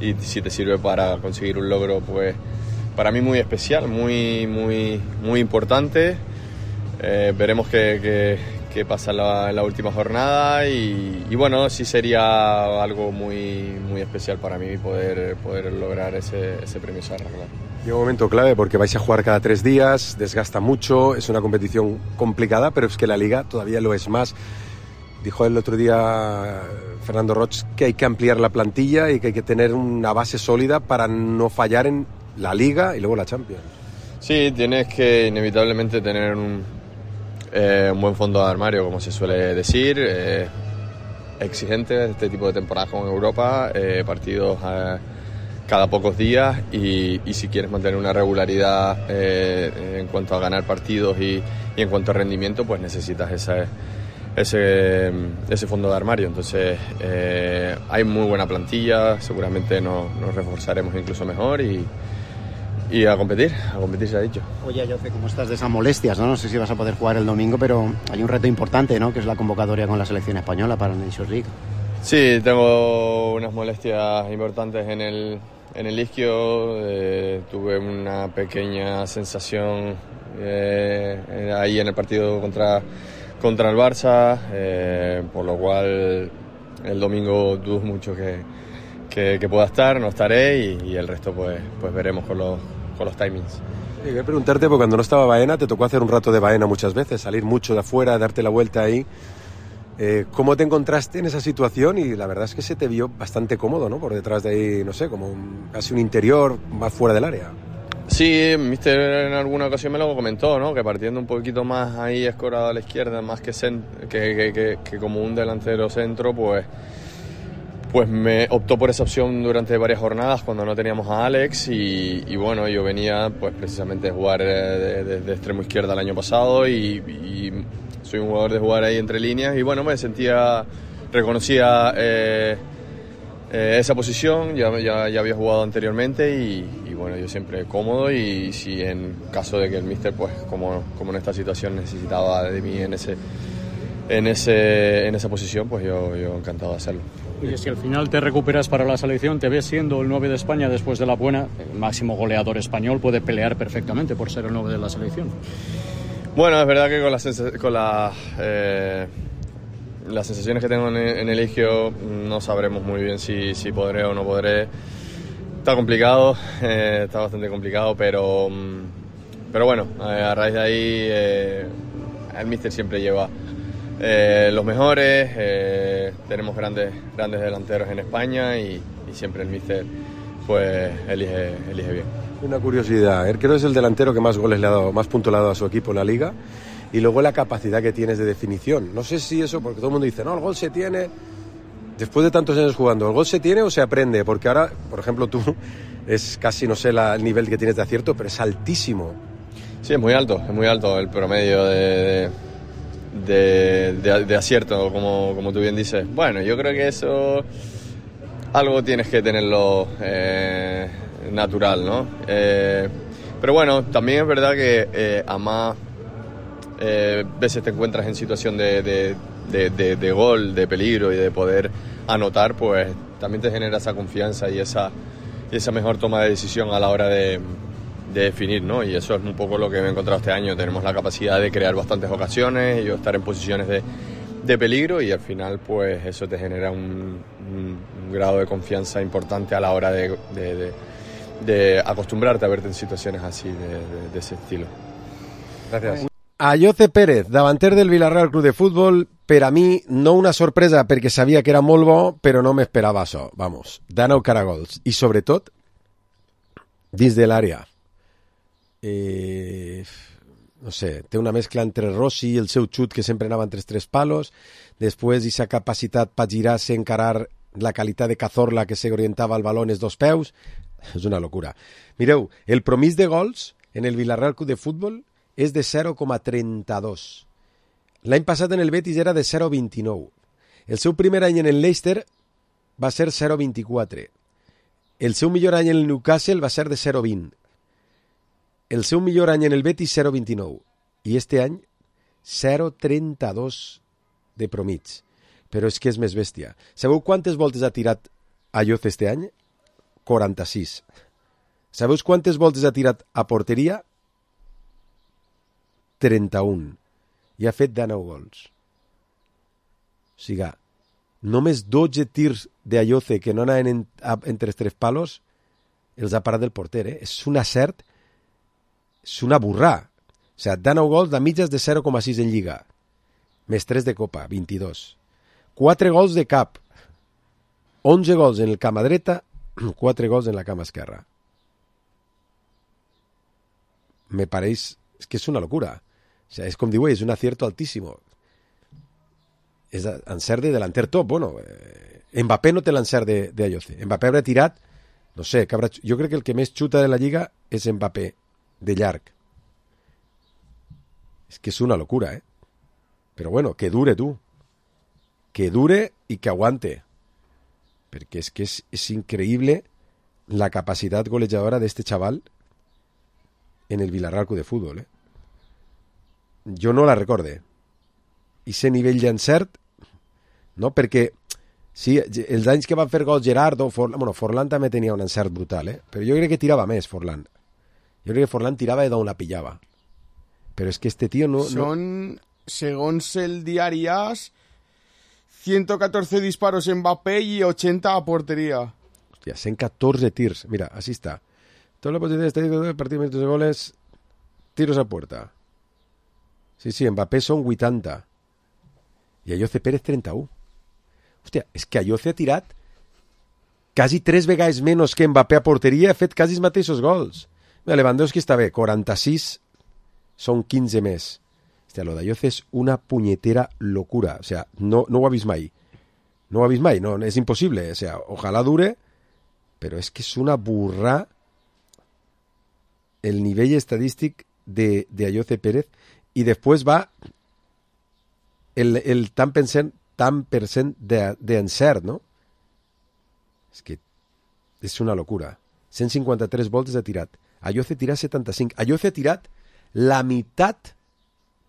[SPEAKER 14] y si te sirve para conseguir un logro, pues para mí muy especial, muy muy muy importante. Eh, veremos qué, qué, qué pasa en la, en la última jornada, y, y bueno, sí sería algo muy muy especial para mí poder poder lograr ese, ese premio Sarra, claro.
[SPEAKER 4] Llega un momento clave porque vais a jugar cada tres días, desgasta mucho, es una competición complicada, pero es que la Liga todavía lo es más. Dijo el otro día Fernando Roig que hay que ampliar la plantilla y que hay que tener una base sólida para no fallar en la Liga y luego la Champions.
[SPEAKER 14] Sí, tienes que inevitablemente tener un, eh, un buen fondo de armario, como se suele decir, eh, exigente este tipo de temporadas como en Europa, eh, partidos eh, cada pocos días, y, y si quieres mantener una regularidad eh, en cuanto a ganar partidos y, y en cuanto a rendimiento, pues necesitas esa... Ese, ese fondo de armario. Entonces eh, hay muy buena plantilla, seguramente nos, nos reforzaremos incluso mejor, y, y a competir, a competir se ha dicho.
[SPEAKER 15] Oye, Ayoce, ¿cómo estás de esas molestias, no? No sé si vas a poder jugar el domingo, pero hay un reto importante, ¿no? Que es la convocatoria con la selección española para la Nations League.
[SPEAKER 14] Sí, tengo unas molestias importantes en el, en el isquio, eh, tuve una pequeña sensación eh, ahí en el partido contra contra el Barça, eh, por lo cual el domingo dudo mucho que, que, que pueda estar, no estaré, y, y el resto pues, pues veremos con los, con los timings.
[SPEAKER 4] Quería preguntarte, porque cuando no estaba Baena te tocó hacer un rato de Baena muchas veces, salir mucho de afuera, darte la vuelta ahí. Eh, ¿Cómo te encontraste en esa situación? Y la verdad es que se te vio bastante cómodo, ¿no? Por detrás de ahí, no sé, como un, casi un interior más fuera del área.
[SPEAKER 14] Sí, Mister en alguna ocasión me lo comentó, ¿no? Que partiendo un poquito más ahí escorado a la izquierda, más que, cent- que, que, que, que como un delantero centro, pues, pues me optó por esa opción durante varias jornadas cuando no teníamos a Alex y, y bueno, yo venía pues precisamente a jugar de, de, de extremo izquierda el año pasado y, y soy un jugador de jugar ahí entre líneas y bueno, me sentía, reconocía eh, eh, esa posición, ya, ya, ya había jugado anteriormente y, y bueno, yo siempre cómodo y si en caso de que el míster, pues como, como en esta situación necesitaba de mí en ese, en ese, en esa posición, pues yo, yo encantado de hacerlo.
[SPEAKER 13] Oye, si al final te recuperas para la selección, te ves siendo el nueve de España después de la buena, el máximo goleador español puede pelear perfectamente por ser el nueve de la selección.
[SPEAKER 14] Bueno, es verdad que con, la, con la, eh, las sensaciones que tengo en, en el Eligio no sabremos muy bien si, si podré o no podré. Está complicado, eh, está bastante complicado, pero, pero bueno, eh, a raíz de ahí eh, el míster siempre lleva eh, los mejores, eh, tenemos grandes, grandes delanteros en España y, y siempre el míster pues elige, elige bien.
[SPEAKER 4] Una curiosidad, creo que es el delantero que más goles le ha dado, más puntos le ha dado a su equipo en la liga y luego la capacidad que tienes de definición. No sé si eso, porque todo el mundo dice, no, el gol se tiene, después de tantos años jugando, ¿el gol se tiene o se aprende? Porque ahora, por ejemplo, tú es casi, no sé, la, el nivel que tienes de acierto, pero es altísimo.
[SPEAKER 14] Sí, es muy alto, es muy alto el promedio de, de, de, de acierto, como, como tú bien dices. Bueno, yo creo que eso algo tienes que tenerlo eh, natural, ¿no? Eh, pero bueno, también es verdad que eh, a más eh, veces te encuentras en situación de, de, de, de, de gol, de peligro y de poder anotar, pues también te genera esa confianza y esa, y esa mejor toma de decisión a la hora de, de definir, ¿no? Y eso es un poco lo que me he encontrado este año. Tenemos la capacidad de crear bastantes ocasiones y yo estar en posiciones de, de peligro y al final pues eso te genera un, un, un grado de confianza importante a la hora de, de, de, de acostumbrarte a verte en situaciones así de, de, de ese estilo.
[SPEAKER 4] Gracias. Ayoce Pérez, davanter del Villarreal Club de Futbol, per a mi no una sorpresa perquè sabia que era molt bo, però no m'esperava això, vamos, Dàneu Caragols, i sobretot dins de l'àrea. Eh, no sé, té una mescla entre Rossi i el seu xut que sempre anava entre els tres palos, després aquesta capacitat per girar-se, encarar la qualitat de Cazorla que se orientava al balón els dos peus, és una locura. Mireu, el promís de gols en el Villarreal Club de Futbol és de zero coma trenta-dos. L'any passat en el Betis era de zero coma vint-i-nou. El seu primer any en el Leicester va ser zero coma vint-i-quatre. El seu millor any en el Newcastle va ser de zero coma vint. El seu millor any en el Betis zero coma vint-i-nou. I este any zero coma trenta-dos de promig. Però és que és més bèstia. Sabeu quantes voltes ha tirat Ayoce este any? quaranta-sis. Sabeu quantes voltes ha tirat a porteria? trenta-un. I ha fet dènou gols. O sigui, només dotze tirs d'Ayoce que no anaven en, a, entre els tres palos els ha parat del porter, eh? És un acert, és una burrà. O sigui, dènou gols de mitges de zero coma sis en Lliga. Més tres de Copa, vint-i-dos. quatre gols de cap. onze gols en el cama dreta, quatre gols en la cama esquerra. Me pareix... És que és una locura. O sea, és com diu, és un acierto altísimo. És encert de delanter top. Bueno, eh, Mbappé no té l'encert de, de Ayoce. Mbappé haurà tirat, no sé, que haurà, jo crec que el que més xuta de la Lliga és Mbappé, de llarg. És que és una locura, eh? Però bueno, que dure, tu. Que dure i que aguante. Perquè és que és, és increïble la capacitat golejadora d'este xaval en el Villarreal Club de Futbol, eh? Jo no la recorde. I ese nivell d'encert, no? Perquè sí, els anys que van fer gols Gerardo, Forlán, bueno, Forlán també tenia un encert brutal, eh? Però jo crec que tirava més, Forlán. Jo crec que Forlán tirava d'on la pillava. Però és que este tío no...
[SPEAKER 5] Son, no... segons el diari AS, ciento catorce disparos en Mbappé y ochenta a portería.
[SPEAKER 4] Hostia, cent catorze tirs. Mira, así está. Toda la posición estadística del partido de goles, tiros a puerta. Sí, sí, Mbappé son vuitanta. i Ayoce Pérez trenta-u. Hòstia, és que Ayoce ha tirat quasi tres vegades menys que Mbappé a porteria, ha fet quasi els mateixos gols. Lewandowski està bé, quaranta-sis, són quinze més. Hòstia, lo d'Ayoce és una punyetera locura. O sea, no, no ho ha vist mai. No ho ha vist mai, no, és impossible. O sea, ojalá dure, però és que és una burra el nivell estadístic de, de Ayoce Pérez, i després va el, el tant per cent, tant per cent d'encert, no? És que és una locura. cent cinquanta-tres voltes ha tirat. Ayoce tira setanta-cinc. Ayoce ha tirat la meitat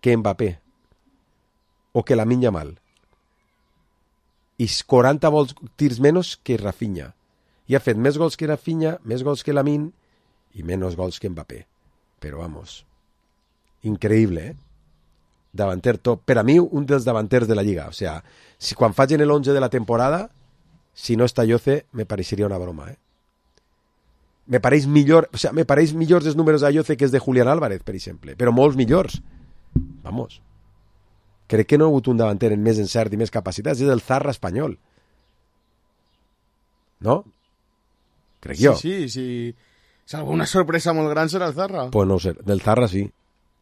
[SPEAKER 4] que Mbappé o que Lamine Yamal. I quaranta volts, tirs menys que Rafinha. I ha fet més gols que Rafinha, més gols que Lamine i menys gols que Mbappé. Però, vamos, increïble, eh? Davanter top. Per a mi, un dels davanters de la Lliga. O sea, si quan facin el once de la temporada, si no està Ayoce, me pareixeria una broma, eh? Me pareix millor, o sea, me pareix millors els números d'Ayoce que els de Julián Álvarez, per exemple, però molts millors. Vamos. Crec que no ha hagut un davanter en més encert i més capacitats, és el Zarra espanyol. No? Crec
[SPEAKER 5] sí,
[SPEAKER 4] jo.
[SPEAKER 5] Sí, sí. Si alguna sorpresa molt gran serà el Zarra.
[SPEAKER 4] Pues no ho sé, del Zarra sí.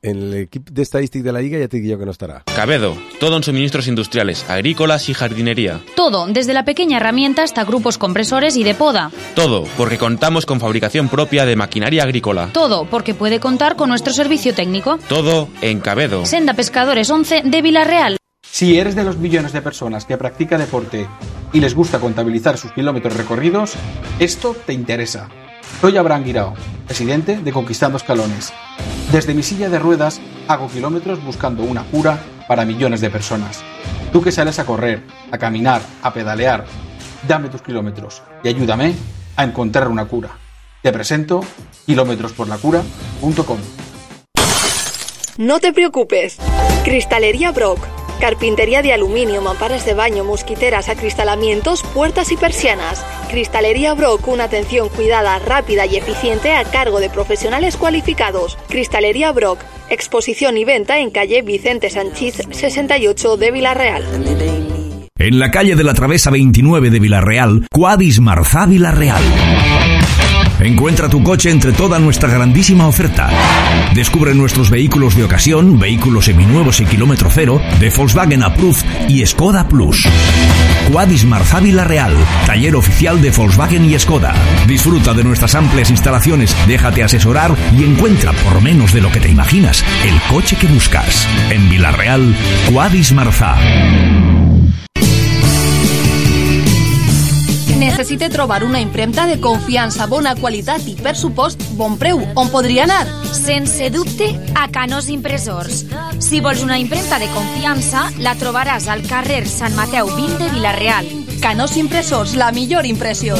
[SPEAKER 4] En l'equip d'estadístic de la Liga ya te digo que no estará.
[SPEAKER 17] Cabedo, todo en suministros industriales, agrícolas y jardinería.
[SPEAKER 1] Todo, desde la pequeña herramienta hasta grupos compresores y de poda.
[SPEAKER 17] Todo, porque contamos con fabricación propia de maquinaria agrícola.
[SPEAKER 1] Todo, porque puede contar con nuestro servicio técnico.
[SPEAKER 17] Todo en Cabedo.
[SPEAKER 1] Senda Pescadores once de Villarreal.
[SPEAKER 18] Si eres de los millones de personas que practica deporte y les gusta contabilizar sus kilómetros recorridos, esto te interesa. Soy Abraham Guirao, presidente de Conquistando Escalones. Desde mi silla de ruedas hago kilómetros buscando una cura para millones de personas. Tú que sales a correr, a caminar, a pedalear, dame tus kilómetros y ayúdame a encontrar una cura. Te presento kilómetros por la cura punto com.
[SPEAKER 8] No te preocupes. Cristalería Brock. Carpintería de aluminio, mamparas de baño, mosquiteras, acristalamientos, puertas y persianas. Cristalería Brock, una atención cuidada, rápida y eficiente a cargo de profesionales cualificados. Cristalería Brock, exposición y venta en calle Vicente Sanchís sesenta y ocho de Villarreal.
[SPEAKER 19] En la calle de la Travesa veintinueve de Villarreal, Quadis Marzá Villarreal. Encuentra tu coche entre toda nuestra grandísima oferta. Descubre nuestros vehículos de ocasión, vehículos seminuevos y kilómetro cero, de Volkswagen Approved y Skoda Plus. Quadis Marzá Villarreal, taller oficial de Volkswagen y Skoda. Disfruta de nuestras amplias instalaciones, déjate asesorar y encuentra, por menos de lo que te imaginas, el coche que buscas. En Villarreal, Quadis Marzá.
[SPEAKER 8] Necessite trobar una impremta de confiança, bona qualitat i, per supost, bon preu. On podria anar?
[SPEAKER 1] Sense dubte, a Canós Impressors. Si vols una impremta de confiança, la trobaràs al carrer Sant Mateu vint de Villarreal.
[SPEAKER 8] Canós Impressors, la millor impressió.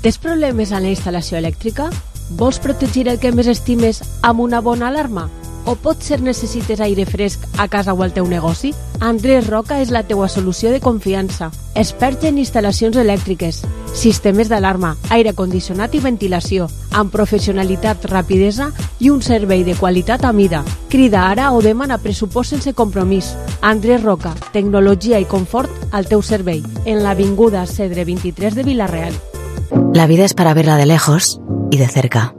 [SPEAKER 20] Tens problemes en la instal·lació elèctrica? Vols protegir el que més estimes amb una bona alarma? O potser necessites aire fresc a casa o al teu negoci? Andrés Roca és la teua solució de confiança. Expert en instal·lacions elèctriques, sistemes d'alarma, aire condicionat i ventilació, amb professionalitat, rapidesa i un servei de qualitat a mida. Crida ara o demana pressupost sense compromís. Andrés Roca, tecnologia i confort al teu servei, en l'avinguda Cedre vint-i-tres de Villarreal.
[SPEAKER 21] La vida es para verla de lejos y de cerca.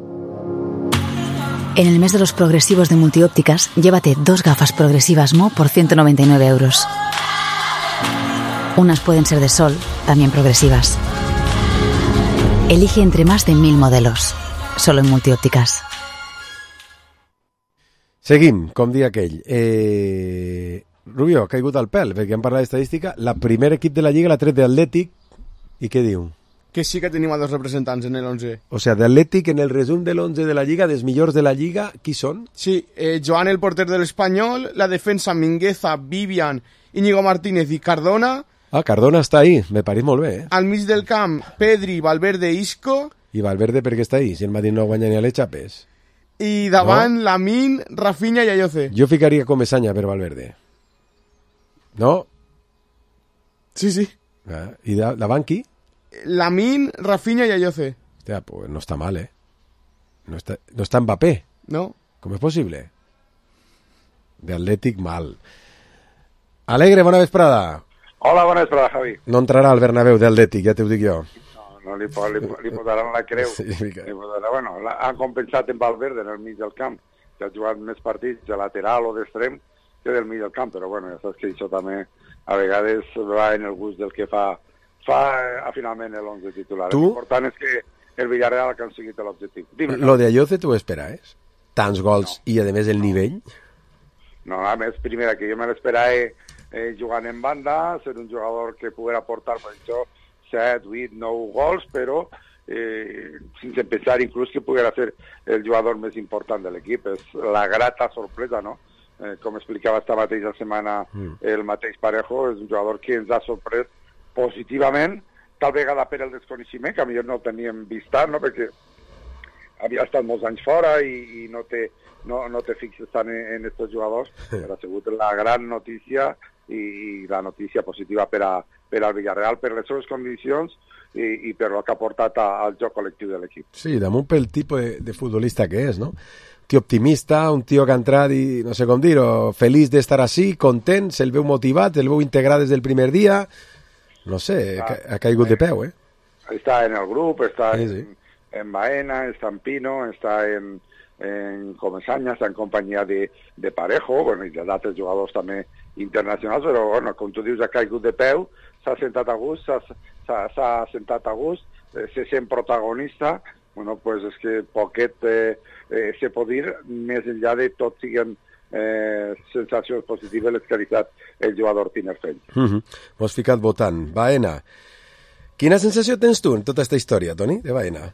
[SPEAKER 21] En el mes de los progresivos de Multiópticas, llévate dos gafas progresivas Mo por ciento noventa y nueve euros. Unas pueden ser de sol, también progresivas. Elige entre más de mil modelos, solo en Multiópticas.
[SPEAKER 4] Seguim, com dia aquell. Eh... Rubio, ha caigut al pèl, perquè hem parlat d'estadística. La primer equip de la Lliga l'ha tret d'Atlètic, i què diu?
[SPEAKER 5] Que sí que tenim a dos representants en el once.
[SPEAKER 4] O sea, de Atlètic, en el resum de l'onze de la Lliga, dels millors de la Lliga, qui són?
[SPEAKER 5] Sí, eh, Joan, el porter de l'Espanyol, la defensa Mingueza, Vivian, Íñigo Martínez i Cardona.
[SPEAKER 4] Ah, Cardona està ahí, me pareix molt bé, eh?
[SPEAKER 5] Al mig del camp, Pedri, Valverde, Isco.
[SPEAKER 4] I Valverde per què està ahí, si el Madrid no guanya ni a les xapes?
[SPEAKER 5] I davant,
[SPEAKER 4] no?
[SPEAKER 5] Lamine, Rafinha i Ayoce.
[SPEAKER 4] Jo ficaria Comesaña per Valverde. No?
[SPEAKER 5] Sí, sí.
[SPEAKER 4] Ah, I da, davant qui?
[SPEAKER 5] Lamine, Rafinha y Ayoce.
[SPEAKER 4] Hostia, pues no está mal, ¿eh? No está, no está Mbappé.
[SPEAKER 5] No.
[SPEAKER 4] ¿Cómo es posible? de Atlètic mal. Alegre, bona vesprada.
[SPEAKER 2] Hola, bona vesprada, Javi.
[SPEAKER 4] No entrarà al Bernabéu d'Atlètic, ja t'ho dic jo.
[SPEAKER 2] No, no li, li, li posaran la creu. Sí, li posaran, bueno, la, han compensat en Valverde en el mig del camp, que ha jugat més partits de lateral o d'extrem que del mig del camp, però bueno, ja saps que això també a vegades va en el gust del que fa, fa a, finalment l'onze titular.
[SPEAKER 4] Tu?
[SPEAKER 2] L'important és que el Villarreal ha aconseguit l'objectiu. Dime,
[SPEAKER 4] Lo de Ayoce t'ho esperaves? Tants gols no. I, a més, el nivell?
[SPEAKER 2] No, a més, primera, que jo me l'esperava eh, jugant en banda, ser un jugador que poguera aportar, per això, set, vuit, nou gols, però eh, sense pensar inclús que poguera ser el jugador més important de l'equip. És la grata sorpresa, no? Eh, com explicava esta mateixa setmana mm. el mateix Parejo, és un jugador que ens ha sorprès positivament, tal vegada per el desconeixement, que millor no el teníem vist, no? Perquè havia estat molts anys fora i, i no, te, no, no te fixes tant en aquests jugadors, però ha sigut la gran notícia i, i la notícia positiva per, a, per al Villarreal, per les seves condicions i, i per el que ha portat a, al joc col·lectiu de l'equip.
[SPEAKER 4] Sí, damunt pel tipus de, de futbolista que és, no? Un tio optimista, un tio que ha entrat i, no sé com dir-ho, feliç d'estar així, content, se'l veu motivat, se'l veu integrat des del primer dia, no sé, ah, ha caigut de peu, eh?
[SPEAKER 2] Està en el grup, està
[SPEAKER 4] sí, sí.
[SPEAKER 2] en, en Baena, està en Pino, està en, en Comesaña, està en companyia de, de Parejo, bueno, i d'altres jugadors també internacionals, però, bueno, com tu dius, ha caigut de peu, s'ha sentat a gust, s'ha sentat a gust, eh, se sent protagonista, bueno, pues és que poquet eh, eh, se pot dir, més enllà de tot siguen eh, sensacions positives les que ha deixat el jugador Tinerfell.
[SPEAKER 4] Uh -huh. M'has ficat votant. Baena. Quina sensació tens tu en tota aquesta història, Toni, de Baena?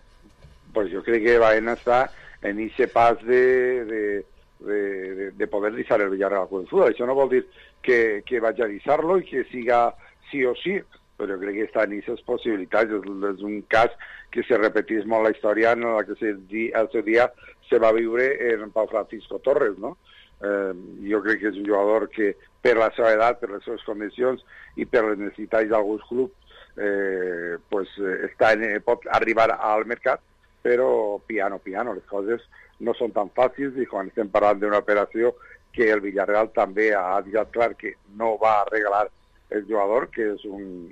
[SPEAKER 2] Pues jo crec que Baena està en aquest pas de, de, de, de, de poder deixar el Villarreal al Futbol. Això no vol dir que, que vagi a deixar-lo i que siga sí o sí, però jo crec que està en aquestes possibilitats. És, és un cas que se repetís molt la història en la que se, el seu dia se va viure en Pau Francisco Torres, no? Eh, jo crec que és un jugador que per la seva edat, per les seves condicions i per les necessitats d'alguns clubs eh, pues, està en, pot arribar al mercat, però piano, piano, les coses no són tan fàcils i quan estem parlant d'una operació que el Villarreal també ha dit clar que no va regalar el jugador, que és un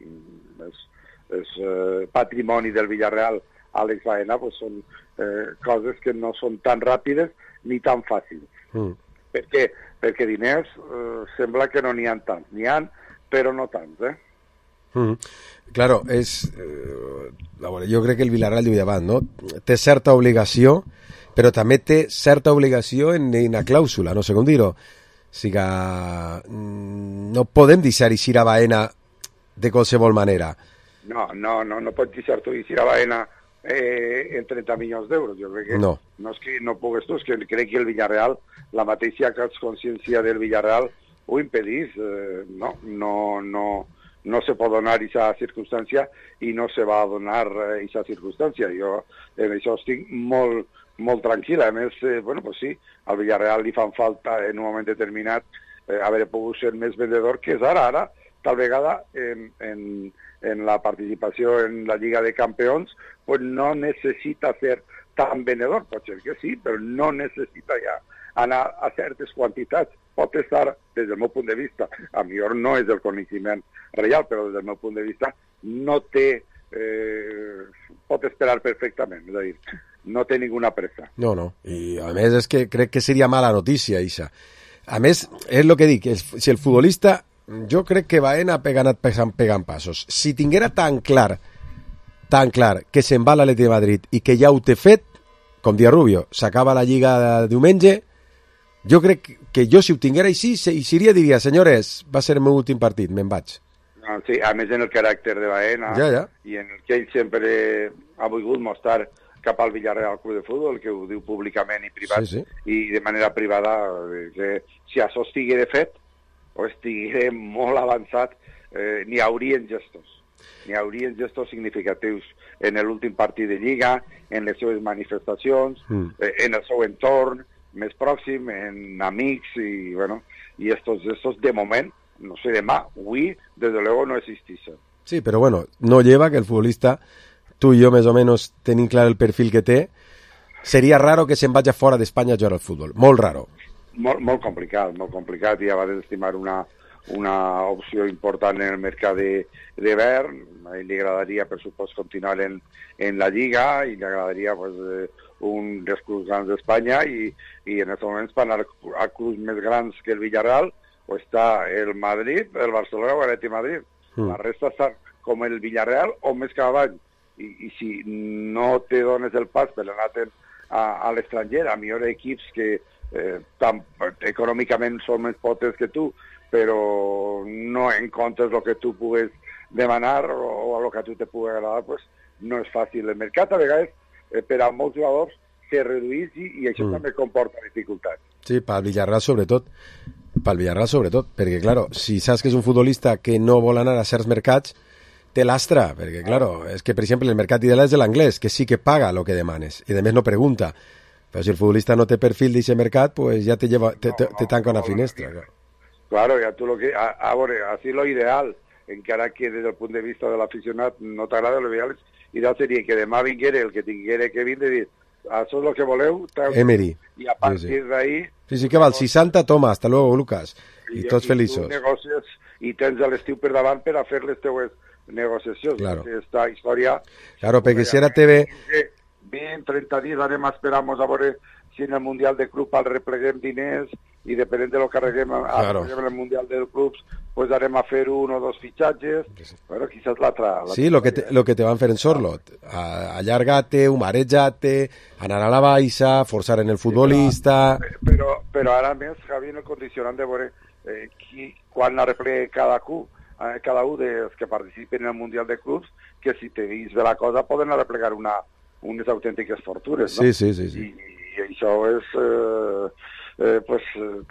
[SPEAKER 2] és, és, eh, patrimoni del Villarreal, Àlex Baena, pues són eh, coses que no són tan ràpides ni tan fàcils. Mm. Per què? Perquè diners eh, sembla que no n'hi ha tants. N'hi ha, però no tants, eh?
[SPEAKER 4] Mm. Claro, és... Eh, a veure, jo crec que el Villarreal diu davant, no? Té certa obligació, però també té certa obligació en una clàusula, no sé com dir-ho. O sigui, no podem deixar eixir a Baena de qualsevol manera.
[SPEAKER 2] No, no, no, no pots deixar tu eixir a Baena eh, en trenta milions d'euros. Jo crec que no. no és que no pugues tu, és que crec que el Villarreal, la mateixa consciència del Villarreal ho impedís. Eh, no, no, no, no se pot donar aquesta circumstància i no se va donar aquesta circumstància. Jo en això estic molt, molt tranquil. A més, eh, bueno, pues sí, al Villarreal li fan falta en un moment determinat eh, haver pogut ser més vendedor que és ara. Ara, tal vegada, en, en, en la participació en la Lliga de Campeons, pues no necessita ser tan vendedor. Pot ser que sí, però no necessita ja anar a certes quantitats. Pot estar, des del meu punt de vista, a millor no és el coneixement real, però des del meu punt de vista no té, eh, pot esperar perfectament, és a dir, no té ninguna pressa.
[SPEAKER 4] No, no, i a més és que crec que seria mala notícia, Isa. A més, és el que dic, si el futbolista, jo crec que Baena ha anat pegant, pegant passos. Si tinguera tan clar, tan clar, que se'n va a l'Atlètic de Madrid i que ja ho té fet, com dia Rubio, s'acaba la Lliga de diumenge, jo crec que jo, si ho tinguera així, seria, diria, senyores, va ser el meu últim partit, me'n vaig.
[SPEAKER 2] No, sí, a més en el caràcter de Baena,
[SPEAKER 4] ja, ja.
[SPEAKER 2] I en el que ell sempre ha volgut mostrar cap al Villarreal Club de Futbol, que ho diu públicament i privat,
[SPEAKER 4] sí, sí.
[SPEAKER 2] I de manera privada, que si això estigui de fet, o estigui molt avançat, eh, n'hi haurien gestos. N'hi haurien gestos significatius en l'últim partit de Lliga, en les seves manifestacions, mm. eh, en el seu entorn més pròxim, en amics, i bueno, i estos gestos de moment, no sé, demà, avui, desde luego no existeixen.
[SPEAKER 4] Sí, però bueno, no lleva que el futbolista, tu i jo més o menys tenim clar el perfil que té, seria raro que se'n vagi fora d'Espanya a jugar al futbol, molt raro.
[SPEAKER 2] Molt, molt complicat, molt complicat, i ja va desestimar una, una opció important en el mercat d'hivern. A ell li agradaria, per supost, continuar en, en la Lliga, i li agradaria pues, eh, un dels clubs grans d'Espanya, i, i en aquests moments per anar a clubs més grans que el Villarreal pues, està el Madrid, el Barcelona o l'Atlètic Madrid. Mm. La resta està com el Villarreal o més cada any. I, i si no te dones el pas per anar a, a l'estranger, a millor equips que eh, tan, econòmicament són més potes que tu, però no encontres el que tu pugues demanar o, o el que a tu te pugui agradar, pues, no és fàcil. El mercat a vegades eh, per a molts jugadors se redueix i, i això mm. també comporta dificultats.
[SPEAKER 4] Sí, pel Villarreal sobretot. Pel Villarreal sobretot, perquè, claro, si saps que és un futbolista que no vol anar a certs mercats, té l'astra, perquè, claro, és que, per exemple, el mercat ideal és de l'anglès, que sí que paga el que demanes, i a més no pregunta. Però si el futbolista no té perfil d'aquest mercat, pues ja te, lleva, te, te, te tanca una finestra.
[SPEAKER 2] Claro, claro ya tú lo que... A, a veure, así lo ideal, encara que des del punt de vista de l'aficionat no t'agrada, lo ideal, ideal seria que demà vinguera el que tinguera que vindre i dir, això és el que voleu,
[SPEAKER 4] Emery.
[SPEAKER 2] I a partir
[SPEAKER 4] sí, sí.
[SPEAKER 2] d'ahí...
[SPEAKER 4] Sí, sí que val, seixanta, toma, hasta luego, Lucas. I, I tots feliços.
[SPEAKER 2] I tu negocies i tens l'estiu per davant per a fer les teues negociacions.
[SPEAKER 4] Claro.
[SPEAKER 2] Esta història...
[SPEAKER 4] Claro, perquè si ara te ve...
[SPEAKER 2] vint, trenta dies anem a esperar a veure si en el Mundial de Club al repleguem diners i depenent de lo que arreguem claro. en el Mundial de Clubs pues harem a fer un o dos fitxatges, sí. Bueno, quizás l'altra...
[SPEAKER 4] Sí, lo que, te, lo que te van fer en Sorlot, allargar-te, humarejar-te, anar a la baixa, forçar en el futbolista...
[SPEAKER 2] Sí, però, però ara més, Javi, en el condicionant de veure eh, qui, quan arreplegue cada club, cada un dels que participen en el Mundial de Clubs, que si te vist bé la cosa poden arreplegar una, unes autèntiques fortunes, no?
[SPEAKER 4] Sí, sí, sí. sí.
[SPEAKER 2] I, i això és... Eh, eh, pues,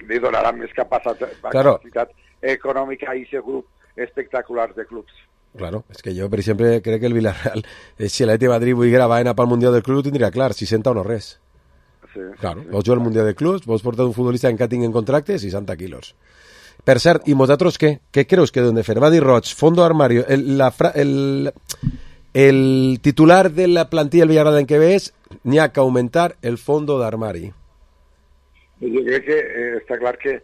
[SPEAKER 2] li donarà més capacitat,
[SPEAKER 4] claro.
[SPEAKER 2] capacitat econòmica a aquest grup espectaculars de clubs.
[SPEAKER 4] Claro, és que jo, per exemple, crec que el Villarreal, eh, si l'Atlètic Madrid volguera anar pel Mundial del Club, ho tindria clar, seixanta o no res.
[SPEAKER 2] Sí,
[SPEAKER 4] claro,
[SPEAKER 2] sí.
[SPEAKER 4] Vols jugar al Mundial de Clubs, vols portar un futbolista en què tinguen contracte, seixanta quilos. Per cert, i vosaltres què? Què creus que deuen de fer? Va dir Roig, fondo armario, el, la fra, el, el titular de la plantilla del Villarreal en què ve és n'hi ha que augmentar el fondo d'armari.
[SPEAKER 2] Jo crec que eh, està clar que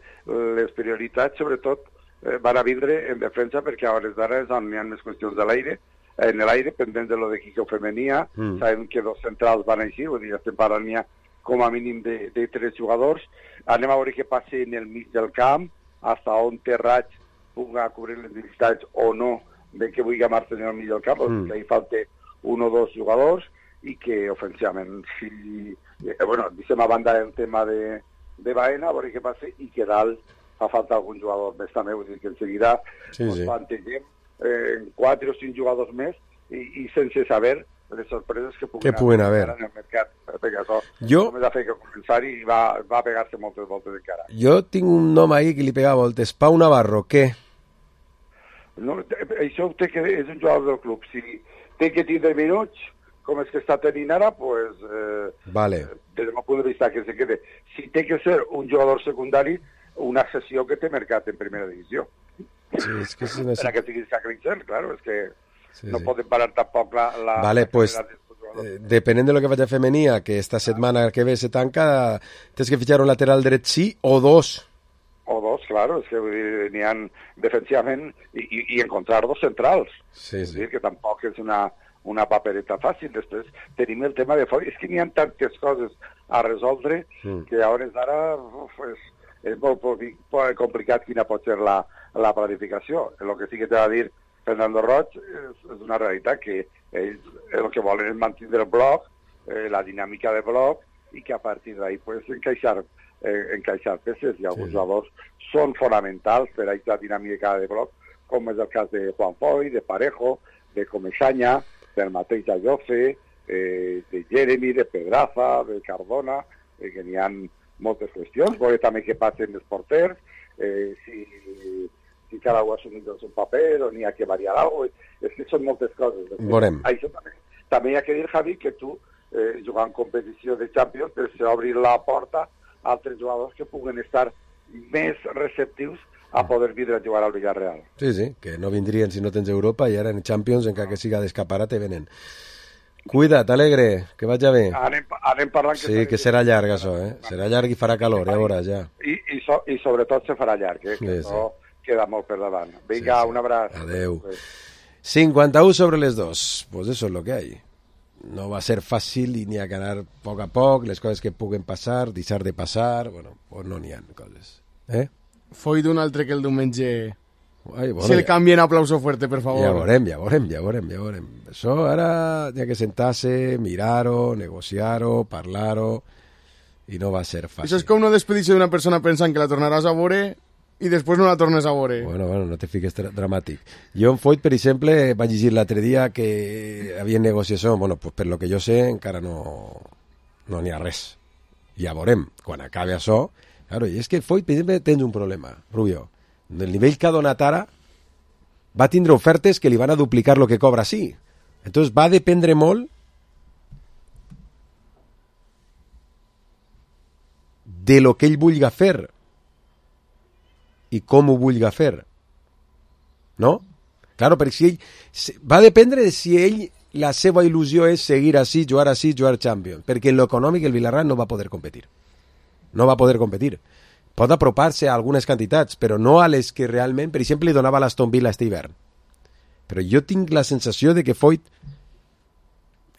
[SPEAKER 2] les prioritats, sobretot, eh, van a vindre en defensa perquè a hores d'ara és on hi ha més qüestions de l'aire, en l'aire, pendent de lo de Quico Femenia, mm. sabem que dos centrals van així, vull dir, estem parlant ja com a mínim de, de tres jugadors, anem a veure què passa en el mig del camp, hasta on Terrats pugui cobrir les necessitats o no de que vulgui amar-se en el mig del camp, mm. que hi falta un o dos jugadors, i que ofensivament, si, eh, bueno, deixem a banda el tema de de Baena, a veure què passa, i que dalt fa falta algun jugador més també, vull dir que en seguida sí, sí. plantegem eh, quatre o cinc jugadors més i, i sense saber les sorpreses que puguen,
[SPEAKER 4] que puguen haver
[SPEAKER 2] en el mercat, perquè això
[SPEAKER 4] jo...
[SPEAKER 2] només ha fet que començar i va, va pegar-se moltes voltes encara.
[SPEAKER 4] Jo tinc un nom ahí que li pega voltes, Pau Navarro, què?
[SPEAKER 2] No, això té que, és un jugador del club, si té que tindre minuts, com és que està tenint ara, pues, eh,
[SPEAKER 4] vale.
[SPEAKER 2] des del meu punt de vista que se quede. Si té que ser un jugador secundari, una sessió que té mercat en primera divisió.
[SPEAKER 4] Sí, és que és una...
[SPEAKER 2] Per a que siguis Sacristel, claro, és que
[SPEAKER 4] sí,
[SPEAKER 2] no
[SPEAKER 4] sí.
[SPEAKER 2] poden parar tampoc la... la
[SPEAKER 4] vale,
[SPEAKER 2] la
[SPEAKER 4] pues, eh, depenent de lo que faci a Femenia, que esta setmana que ve se tanca, tens que fitxar un lateral dret sí o dos.
[SPEAKER 2] O dos, claro, és que n'hi ha defensivament i, i, i encontrar dos centrals.
[SPEAKER 4] Sí, sí.
[SPEAKER 2] És dir, que tampoc és una... una papereta fàcil. Després tenim el tema de fora. És que n'hi ha tantes coses a resoldre mm. que a hores d'ara uf, és, és molt, molt complicat quina pot ser la, la planificació. El que sí que t'ha de dir Fernando Roig és, és una realitat que ells el que volen és mantenir el bloc, eh, la dinàmica de bloc, i que a partir d'ahí pues, encaixar, eh, encaixar peces, i alguns sí. jugadors són fonamentals per a la dinàmica de bloc, com és el cas de Juan Foy, de Parejo, de Comesaña, del mateix Ayoce, eh, de Jeremy, de Pedraza, de Cardona, eh, que n'hi ha moltes qüestions. Veure també què passa amb els porters, eh, si, si cada un ha assumit el seu paper o n'hi ha que variar alguna cosa. És que són moltes coses.
[SPEAKER 4] Veurem.
[SPEAKER 2] Això també. També hi ha que dir, Javi, que tu, eh, jugant competició de Champions, per obrir la porta a altres jugadors que puguen estar més receptius a poder vindre a jugar al Villarreal.
[SPEAKER 4] Sí, sí, que no vindrien si no tens Europa i ara en Champions, encara que siga d'escaparate, venen. Cuida't, Alegre, que vagi bé.
[SPEAKER 2] Anem, anem parlant... Que
[SPEAKER 4] sí, que serà llarg, això, eh? Serà llarg i farà calor, ja veuràs, ja.
[SPEAKER 2] I, i, so, i sobretot se farà llarg, eh? Que sí, això sí. Queda molt per davant. Vinga, sí, sí. Un abraç.
[SPEAKER 4] Adeu. cincuenta-uno sobre les dos. Pues eso es lo que hay. No va a ser fàcil i n'hi ha que anar a poc a poc, les coses que puguen passar, deixar de passar, bueno, pues no n'hi ha coses. Eh?
[SPEAKER 5] Foi d'un altre que el diumenge...
[SPEAKER 4] Ai, bueno,
[SPEAKER 5] si el
[SPEAKER 4] ja...
[SPEAKER 5] canvien aplauso fuerte, per favor.
[SPEAKER 4] Ja veurem, ja veurem, ja veurem, ja veurem. Això ara hi ha que sentar-se, mirar-ho, negociar-ho, parlar-ho, i no va ser fàcil.
[SPEAKER 5] Això és com no despedir-se d'una persona pensant que la tornaràs a veure i després no la tornes a veure.
[SPEAKER 4] Bueno, bueno, no te fiques dramàtic. Jo en Foyt, per exemple, vaig llegir l'altre dia que havia negociació, bueno, pues per lo que jo sé, encara no no n'hi ha res. Ja veurem, quan acabi això. Claro, i és que Foyt, per exemple, tens un problema, Rubio. El nivell que ha donat ara va tindre ofertes que li van a duplicar el que cobra sí. Entonces va dependre molt de lo que ell vulga fer i com ho vulga fer. No? Claro, perquè si ell... Va dependre de si ell, la seva il·lusió és seguir així, jugar així, jugar Champions. Perquè en lo econòmic el Villarreal no va poder competir. No va poder competir. Pot apropar-se a algunes quantitats, però no a les que realment, per exemple, li donava l'Aston Villa este hivern. Però jo tinc la sensació de que Foyt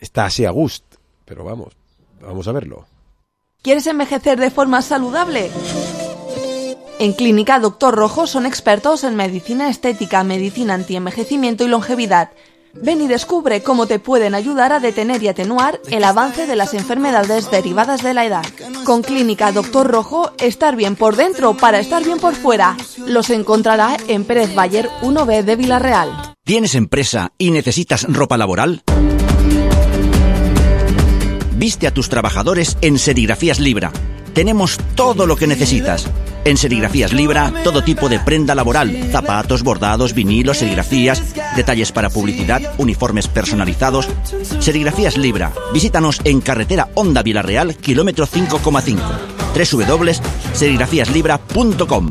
[SPEAKER 4] està así a gust. Pero vamos, vamos a verlo.
[SPEAKER 8] ¿Quieres envejecer de forma saludable? En Clínica Doctor Rojo son expertos en medicina estética, medicina antienvejecimiento y longevidad. Ven y descubre cómo te pueden ayudar a detener y atenuar el avance de las enfermedades derivadas de la edad. Con Clínica Doctor Rojo, estar bien por dentro para estar bien por fuera. Los encontrará en Pérez Bayer uno B de Villarreal.
[SPEAKER 3] ¿Tienes empresa y necesitas ropa laboral? Viste a tus trabajadores en Serigrafías Libra. Tenemos todo lo que necesitas. En Serigrafías Libra, todo tipo de prenda laboral, zapatos, bordados, vinilos, serigrafías, detalles para publicidad, uniformes personalizados. Serigrafías Libra. Visítanos en carretera Honda Villarreal, kilómetro cinco coma cinco. doble u doble u doble u punto serigrafías libra punto com.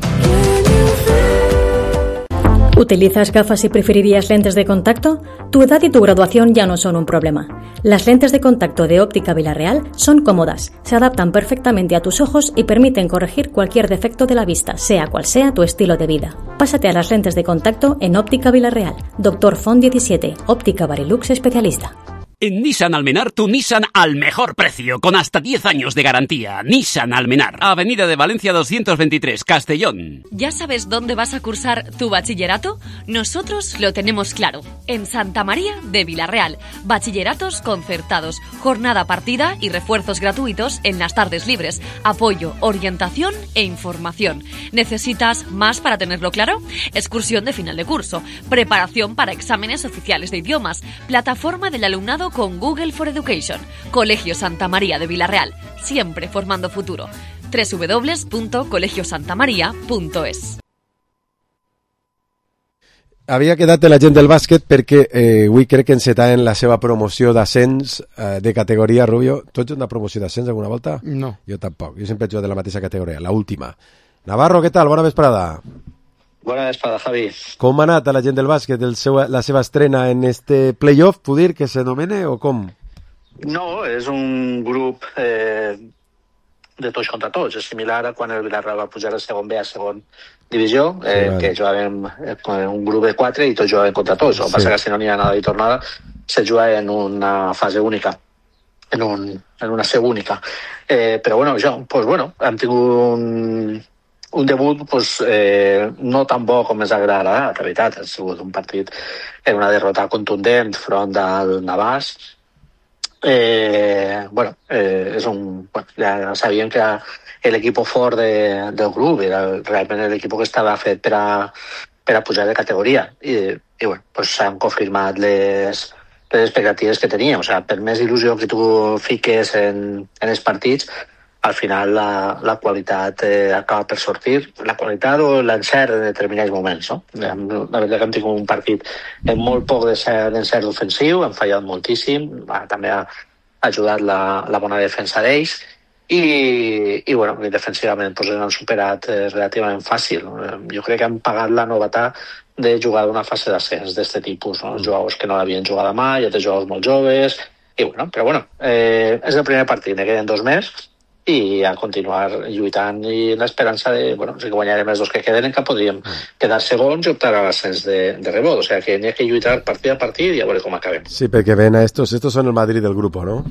[SPEAKER 22] ¿Utilizas gafas y preferirías lentes de contacto? Tu edad y tu graduación ya no son un problema. Las lentes de contacto de Óptica Villarreal son cómodas, se adaptan perfectamente a tus ojos y permiten corregir cualquier defecto de la vista, sea cual sea tu estilo de vida. Pásate a las lentes de contacto en Óptica Villarreal. Doctor Font diecisiete, Óptica Barilux especialista.
[SPEAKER 23] En Nissan Almenar, tu Nissan al mejor precio, con hasta diez años de garantía. Nissan Almenar, Avenida de Valencia doscientos veintitrés, Castellón.
[SPEAKER 16] ¿Ya sabes dónde vas a cursar tu bachillerato? Nosotros lo tenemos claro. En Santa María de Villarreal. Bachilleratos concertados, jornada partida y refuerzos gratuitos en las tardes libres. Apoyo, orientación e información. ¿Necesitas más para tenerlo claro? Excursión de final de curso. Preparación para exámenes oficiales de idiomas. Plataforma del alumnado con Google for Education. Colegio Santa María de Villarreal, siempre formando futuro. doble u doble u doble u punto colegio santa maría punto es.
[SPEAKER 4] Havia quedat la gent del bàsquet perquè eh, avui crec que encetarem la seva promoció d'ascens eh, de categoria. Rubio, tu ets una promoció d'ascens alguna volta?
[SPEAKER 5] No.
[SPEAKER 4] Jo tampoc, jo sempre he jugat de la mateixa categoria, la última. Navarro, què tal? Bona vesprada.
[SPEAKER 24] Bona vesprada, Javi.
[SPEAKER 4] Com ha anat a la gent del bàsquet el seu, la seva estrena en este playoff, puc dir que s'anomena o com?
[SPEAKER 24] No, és un grup eh, de tots contra tots. És similar a quan el Villarreal va pujar a segon B a segon divisió, eh, sí, vale. Que jugàvem en un grup de quatre i tots jugàvem contra tots. El que sí. Passa que si no n'hi ha nada de tornada, se juga en una fase única, en, un, en una C única. Eh, però bueno, jo, pues bueno, hem tingut un... Un debut pues, eh, no tan bo com ens agradarà, la veritat. Ha sigut un partit en una derrota contundent front del Navàs. Eh, bueno, eh, és un, bueno, ja sabíem que era l'equip fort de, del grup, era realment l'equip que estava fet per a, per a pujar de categoria. I, i bueno, pues, s'han confirmat les, les expectatives que teníem. O sea, per més il·lusió que tu fiques en, en els partits, al final la, la qualitat eh, acaba per sortir, la qualitat o l'encert en determinats moments, no? La veritat que hem tingut un partit amb molt poc d'encert ofensiu, hem fallat moltíssim, també ha ajudat la, la bona defensa d'ells i, i bueno, defensivament pues, han superat eh, relativament fàcil. Jo crec que han pagat la novetat de jugar d'una fase d'ascens d'aquest tipus, no? Els jugadors que no l'havien jugat mai, altres jugadors molt joves, I bueno, però bueno, eh, és el primer partit, ne queden dos més, i a continuar lluitant i l'esperança de, bueno, si guanyarem els dos que queden encara podríem quedar segons i optar a l'ascens de, de rebot, o sea que n'hi ha que lluitar partit a partit i a veure com acabem.
[SPEAKER 4] Sí, perquè ven a estos, estos son el Madrid del grupo, ¿no?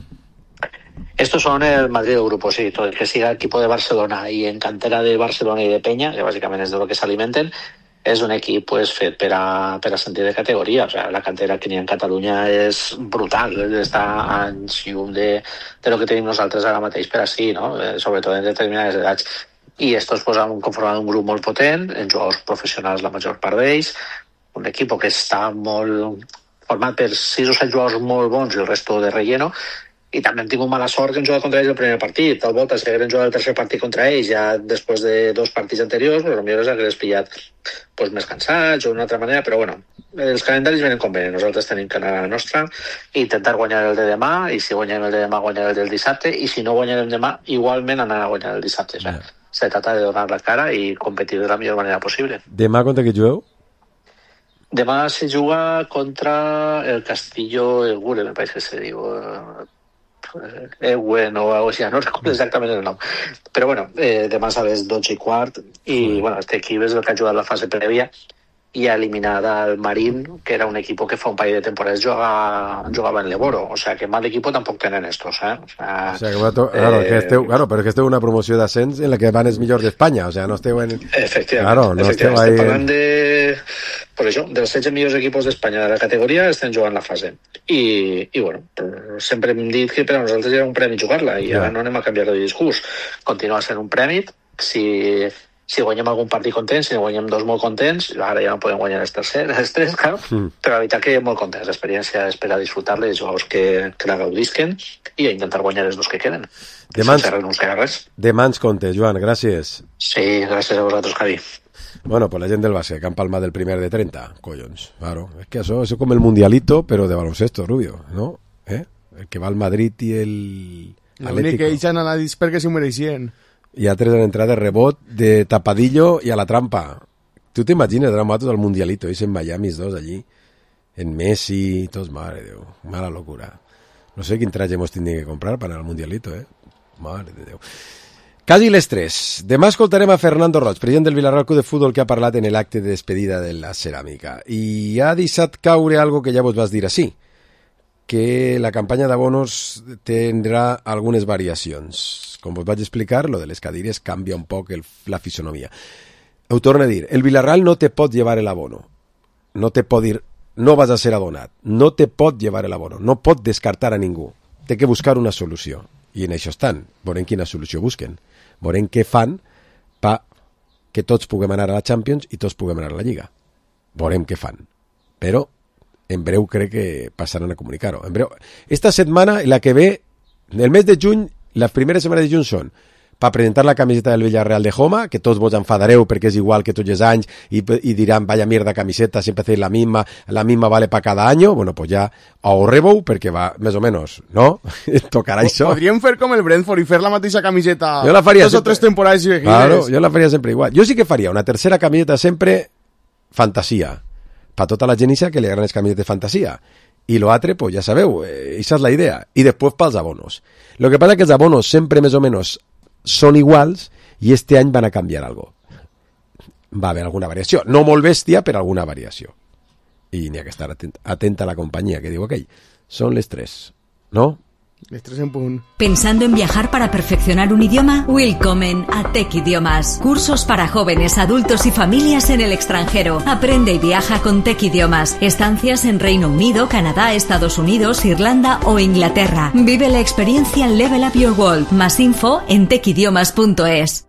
[SPEAKER 24] Estos son el Madrid del grupo, sí, todo el que siga el equipo de Barcelona y en cantera de Barcelona y de Peña, que básicamente es de lo que se alimenten, és un equip pues, fet per a, per a sentir de categoria. O sea, la cantera que n'hi ha en Catalunya és brutal, està a anys llum de, de lo que tenim nosaltres ara mateix per així, no? Eh, sobretot en determinades edats. I estos pues, han conformat un grup molt potent, en jugadors professionals la major part d'ells, un equip que està molt format per sis o set jugadors molt bons i el resto de relleno, i també hem tingut mala sort que hem jugat contra ells el primer partit. Tal volta, si haguem jugat el tercer partit contra ells ja després de dos partits anteriors, pues, potser els hagués pillat pues, més cansats o d'una altra manera, però bueno, els calendaris venen com venen. Nosaltres tenim que anar a la nostra i intentar guanyar el de demà, i si guanyem el de demà, guanyar el del dissabte, i si no guanyem el demà, igualment anar a guanyar el dissabte. O sea, se trata de donar la cara i competir de la millor manera possible.
[SPEAKER 4] Demà contra qui jugueu?
[SPEAKER 24] Demà se juga contra el Castillo Egure, me parece que se diu... Ewen o algo así, no recuerdo exactament el nom, però bueno, eh, demà a les dotze i quart i bueno, este equip és el que ha jugat la fase prèvia i ha eliminat al Marín, que era un equip que fa un parell de temporades jugava, jugava en l'Eboro, o sea que mal equipo tampoc tenen estos, eh? O sea,
[SPEAKER 4] o sea que va to... claro, eh... que esteu, claro, pero que esteu una promoció d'ascens en la que van els millors d'Espanya, o sea, no esteu en...
[SPEAKER 24] Efectivament,
[SPEAKER 4] claro, no
[SPEAKER 24] efectivament.
[SPEAKER 4] Esteu ahí...
[SPEAKER 24] estem parlant de... Per això, dels setze millors equipos d'Espanya de la categoria estem jugant la fase. I, i bueno, sempre hem dit que per a nosaltres era un premi jugar-la i ara no anem a canviar de discurs. Continua sent un premi. Si, si guanyem algun partit contents, si no guanyem dos molt contents, ara ja no podem guanyar els tercers, els tres, claro, mm. però la veritat que molt contents. L'experiència és per a disfrutar-la, els jugadors que, que la gaudisquen i a intentar guanyar els dos que queden.
[SPEAKER 4] Demà
[SPEAKER 24] sense renunciar a res.
[SPEAKER 4] Demà ens compte, Joan, gràcies.
[SPEAKER 24] Sí, gràcies a vosaltres, Javi.
[SPEAKER 4] Bueno, pues la gent del base, que han palmat del primer de treinta, collons, claro. Es que eso, eso como el mundialito, pero de baloncesto, Rubio, ¿no? ¿Eh? El que va al Madrid y el
[SPEAKER 5] L'únic que ells han anat perquè s'ho mereixien.
[SPEAKER 4] I altres han entrat de rebot, de tapadillo i a la trampa. Tu t'imagines, dramatos al mundialito, ells en Miami, dos allí, en Messi, tots, madre de Déu, mala locura. No sé quin traje hemos tindre que comprar per anar al mundialito, eh? Mare de Déu. Quasi les tres. Demà escoltarem a Fernando Roig, president del Villarreal Club de Futbol, que ha parlat en l'acte de despedida de la ceràmica. I ha deixat caure algo que ja vos vas dir així, que la campanya d'abonos tindrà algunes variacions. Com vos vaig explicar, lo de les cadires canvia un poc el, la fisonomia. Ho torno a dir, el Villarreal no te pot llevar el abono. No te pot dir, no vas a ser abonat. No te pot llevar el abono. No pot descartar a ningú. Té que buscar una solució. I en això estan. Veurem quina solució busquen. Veurem què fan pa que tots puguem anar a la Champions i tots puguem anar a la Lliga. Veurem què fan. Però en breu crec que passaran a comunicar-ho. En breu. Esta setmana, la que ve, el mes de juny, les primeres setmanes de juny són per presentar la camiseta del Villarreal de Joma, que tots vos enfadareu perquè és igual que tots els anys i, i diran, vaya mierda camiseta, sempre hacéis la misma, la misma vale para cada año. Bueno, pues ja ahorreu perquè va més o menos, ¿no? Tocarà això.
[SPEAKER 5] Podríem fer com el Brentford i fer la mateixa camiseta
[SPEAKER 4] jo la faria
[SPEAKER 5] dos sempre... o tres temporades seguides.
[SPEAKER 4] Claro, jo la faria sempre igual. Jo sí que faria una tercera camiseta sempre fantasia. Per tota la gent que li agraden les camisetes fantasia. I lo altre, pues ja sabeu, eh, esa és la idea. I després pels abonos. Lo que passa que els abonos sempre més o menos són iguals i este any van a canviar algo. Va haver alguna variació. No molt bèstia, però alguna variació. I n'hi ha que estar atent, atenta a la companyia, que diu aquell. Són les tres, no?
[SPEAKER 5] Les tres en punt.
[SPEAKER 6] ¿Pensando en viajar para perfeccionar un idioma? Willkommen a Tech Idiomas. Cursos para jóvenes, adultos y familias en el extranjero. Aprende y viaja con Tech Idiomas. Estancias en Reino Unido, Canadá, Estados Unidos, Irlanda o Inglaterra. Vive la experiencia Level Up Your World. Más info en tech idiomas punto es.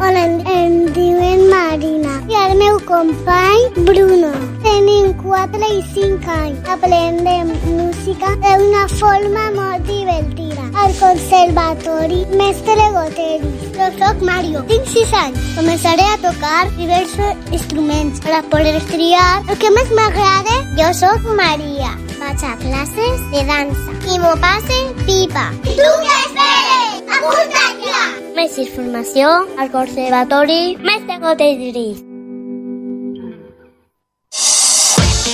[SPEAKER 7] Hola, em diuen Marina i el meu company Bruno. Tenim quatre i cinc anys. Aprendem música d'una forma molt divertida. Al conservatori Mestre Goteris. Jo soc Mario, tinc sis anys. Començaré a tocar diversos instruments per a poder triar el que més m'agrada. Jo soc Maria. Vaig a classes de dansa i m'ho passe pipa. I tu què esperes? Apunta't ja! Més informació al Conservatori Mestre Goteris.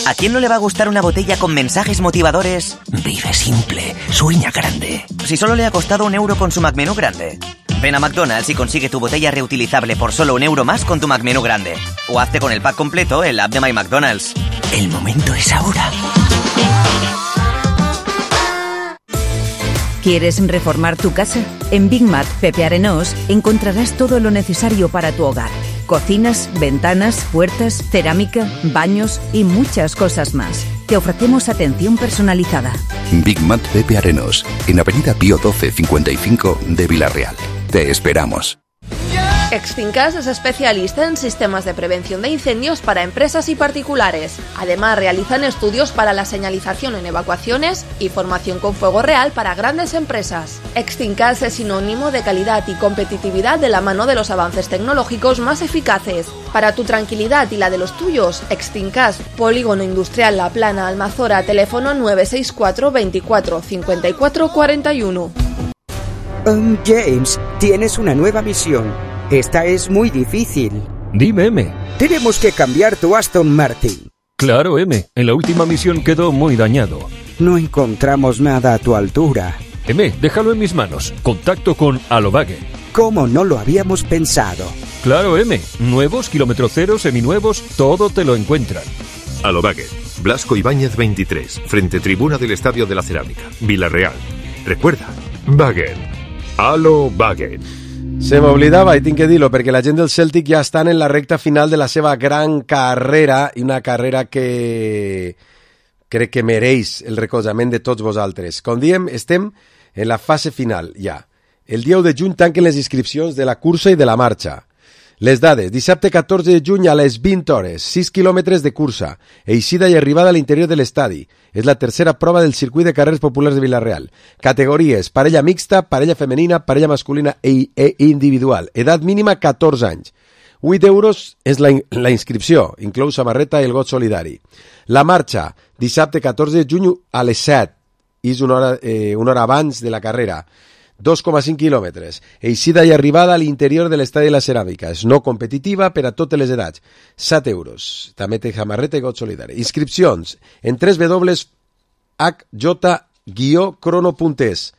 [SPEAKER 9] ¿A quién no le va a gustar una botella con mensajes motivadores?
[SPEAKER 10] Vive simple, sueña grande.
[SPEAKER 9] Si solo le ha costado un euro con su McMenú grande. Ven a McDonald's y consigue tu botella reutilizable por solo un euro más con tu McMenú grande. O hazte con el pack completo en la app de My McDonald's.
[SPEAKER 10] El momento es ahora.
[SPEAKER 11] ¿Quieres reformar tu casa? En Big Mat Pepe Arenós encontrarás todo lo necesario para tu hogar. Cocinas, ventanas, puertas, cerámica, baños y muchas cosas más. Te ofrecemos atención personalizada.
[SPEAKER 12] Big Mat Pepe Arenós, en Avenida Pío doce cincuenta y cinco de Villarreal. Te esperamos.
[SPEAKER 8] Extincas es especialista en sistemas de prevención de incendios para empresas y particulares. Además, realizan estudios para la señalización en evacuaciones y formación con fuego real para grandes empresas. Extincas es sinónimo de calidad y competitividad de la mano de los avances tecnológicos más eficaces. Para tu tranquilidad y la de los tuyos, Extincas, Polígono Industrial La Plana, Almazora, teléfono nueve seis cuatro veinticuatro cincuenta y cuatro cuarenta y uno.
[SPEAKER 25] Um, James, tienes una nueva misión. Esta es muy difícil.
[SPEAKER 26] Dime, M.
[SPEAKER 25] Tenemos que cambiar tu Aston Martin.
[SPEAKER 26] Claro, M. En la última misión quedó muy dañado.
[SPEAKER 25] No encontramos nada a tu altura.
[SPEAKER 26] M, déjalo en mis manos. Contacto con Alobague.
[SPEAKER 25] ¿Cómo no lo habíamos pensado?
[SPEAKER 26] Claro, M. Nuevos, kilómetro cero, seminuevos, todo te lo encuentran.
[SPEAKER 27] Alobague. Blasco Ibáñez veintitrés, frente tribuna del Estadio de la Cerámica, Villarreal. Recuerda, Wagen. Alobague.
[SPEAKER 4] Se m'oblidava, i tinc que dir-lo, perquè la gent del Celtic ja estan en la recta final de la seva gran carrera, i una carrera que crec que mereix el recolzament de tots vosaltres. Com diem, estem en la fase final, ja. El dia u de juny tanquen les inscripcions de la cursa i de la marxa. Les dades, dissabte catorze de juny a les vint hores, sis quilòmetres de cursa, eixida i arribada a l'interior de l'estadi. És la tercera prova del circuit de carreres populars de Villarreal. Categories, parella mixta, parella femenina, parella masculina i e individual. Edat mínima catorze anys. vuit euros és la, la inscripció, inclou samarreta i el got solidari. La marxa, dissabte catorze de juny a les set, és una hora, eh, una hora abans de la carrera. dos coma cinc quilòmetres. Eixida i arribada a l'interior de l'estadi de la Ceràmica. És no competitiva per a totes les edats. set euros. També té samarreta i got solidari. Inscripcions en w w w punt h j guió crono punt es.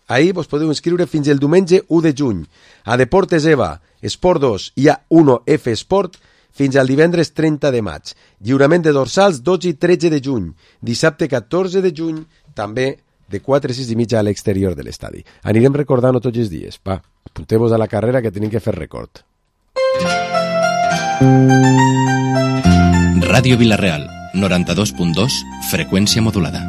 [SPEAKER 4] Ahir vos podeu inscriure fins el diumenge u de juny. A Deportes EVA, Esport dos i a uno F Sport fins al divendres trenta de maig. Lliurament de dorsals dotze i tretze de juny. Dissabte catorze de juny, també de quatre a sis i mitja a l'exterior de l'estadi. Anirem recordant-ho tots els dies. Va, apunteu-vos a la carrera que tenim que fer record.
[SPEAKER 28] Ràdio Villarreal, noranta-dos punt dos, freqüència modulada.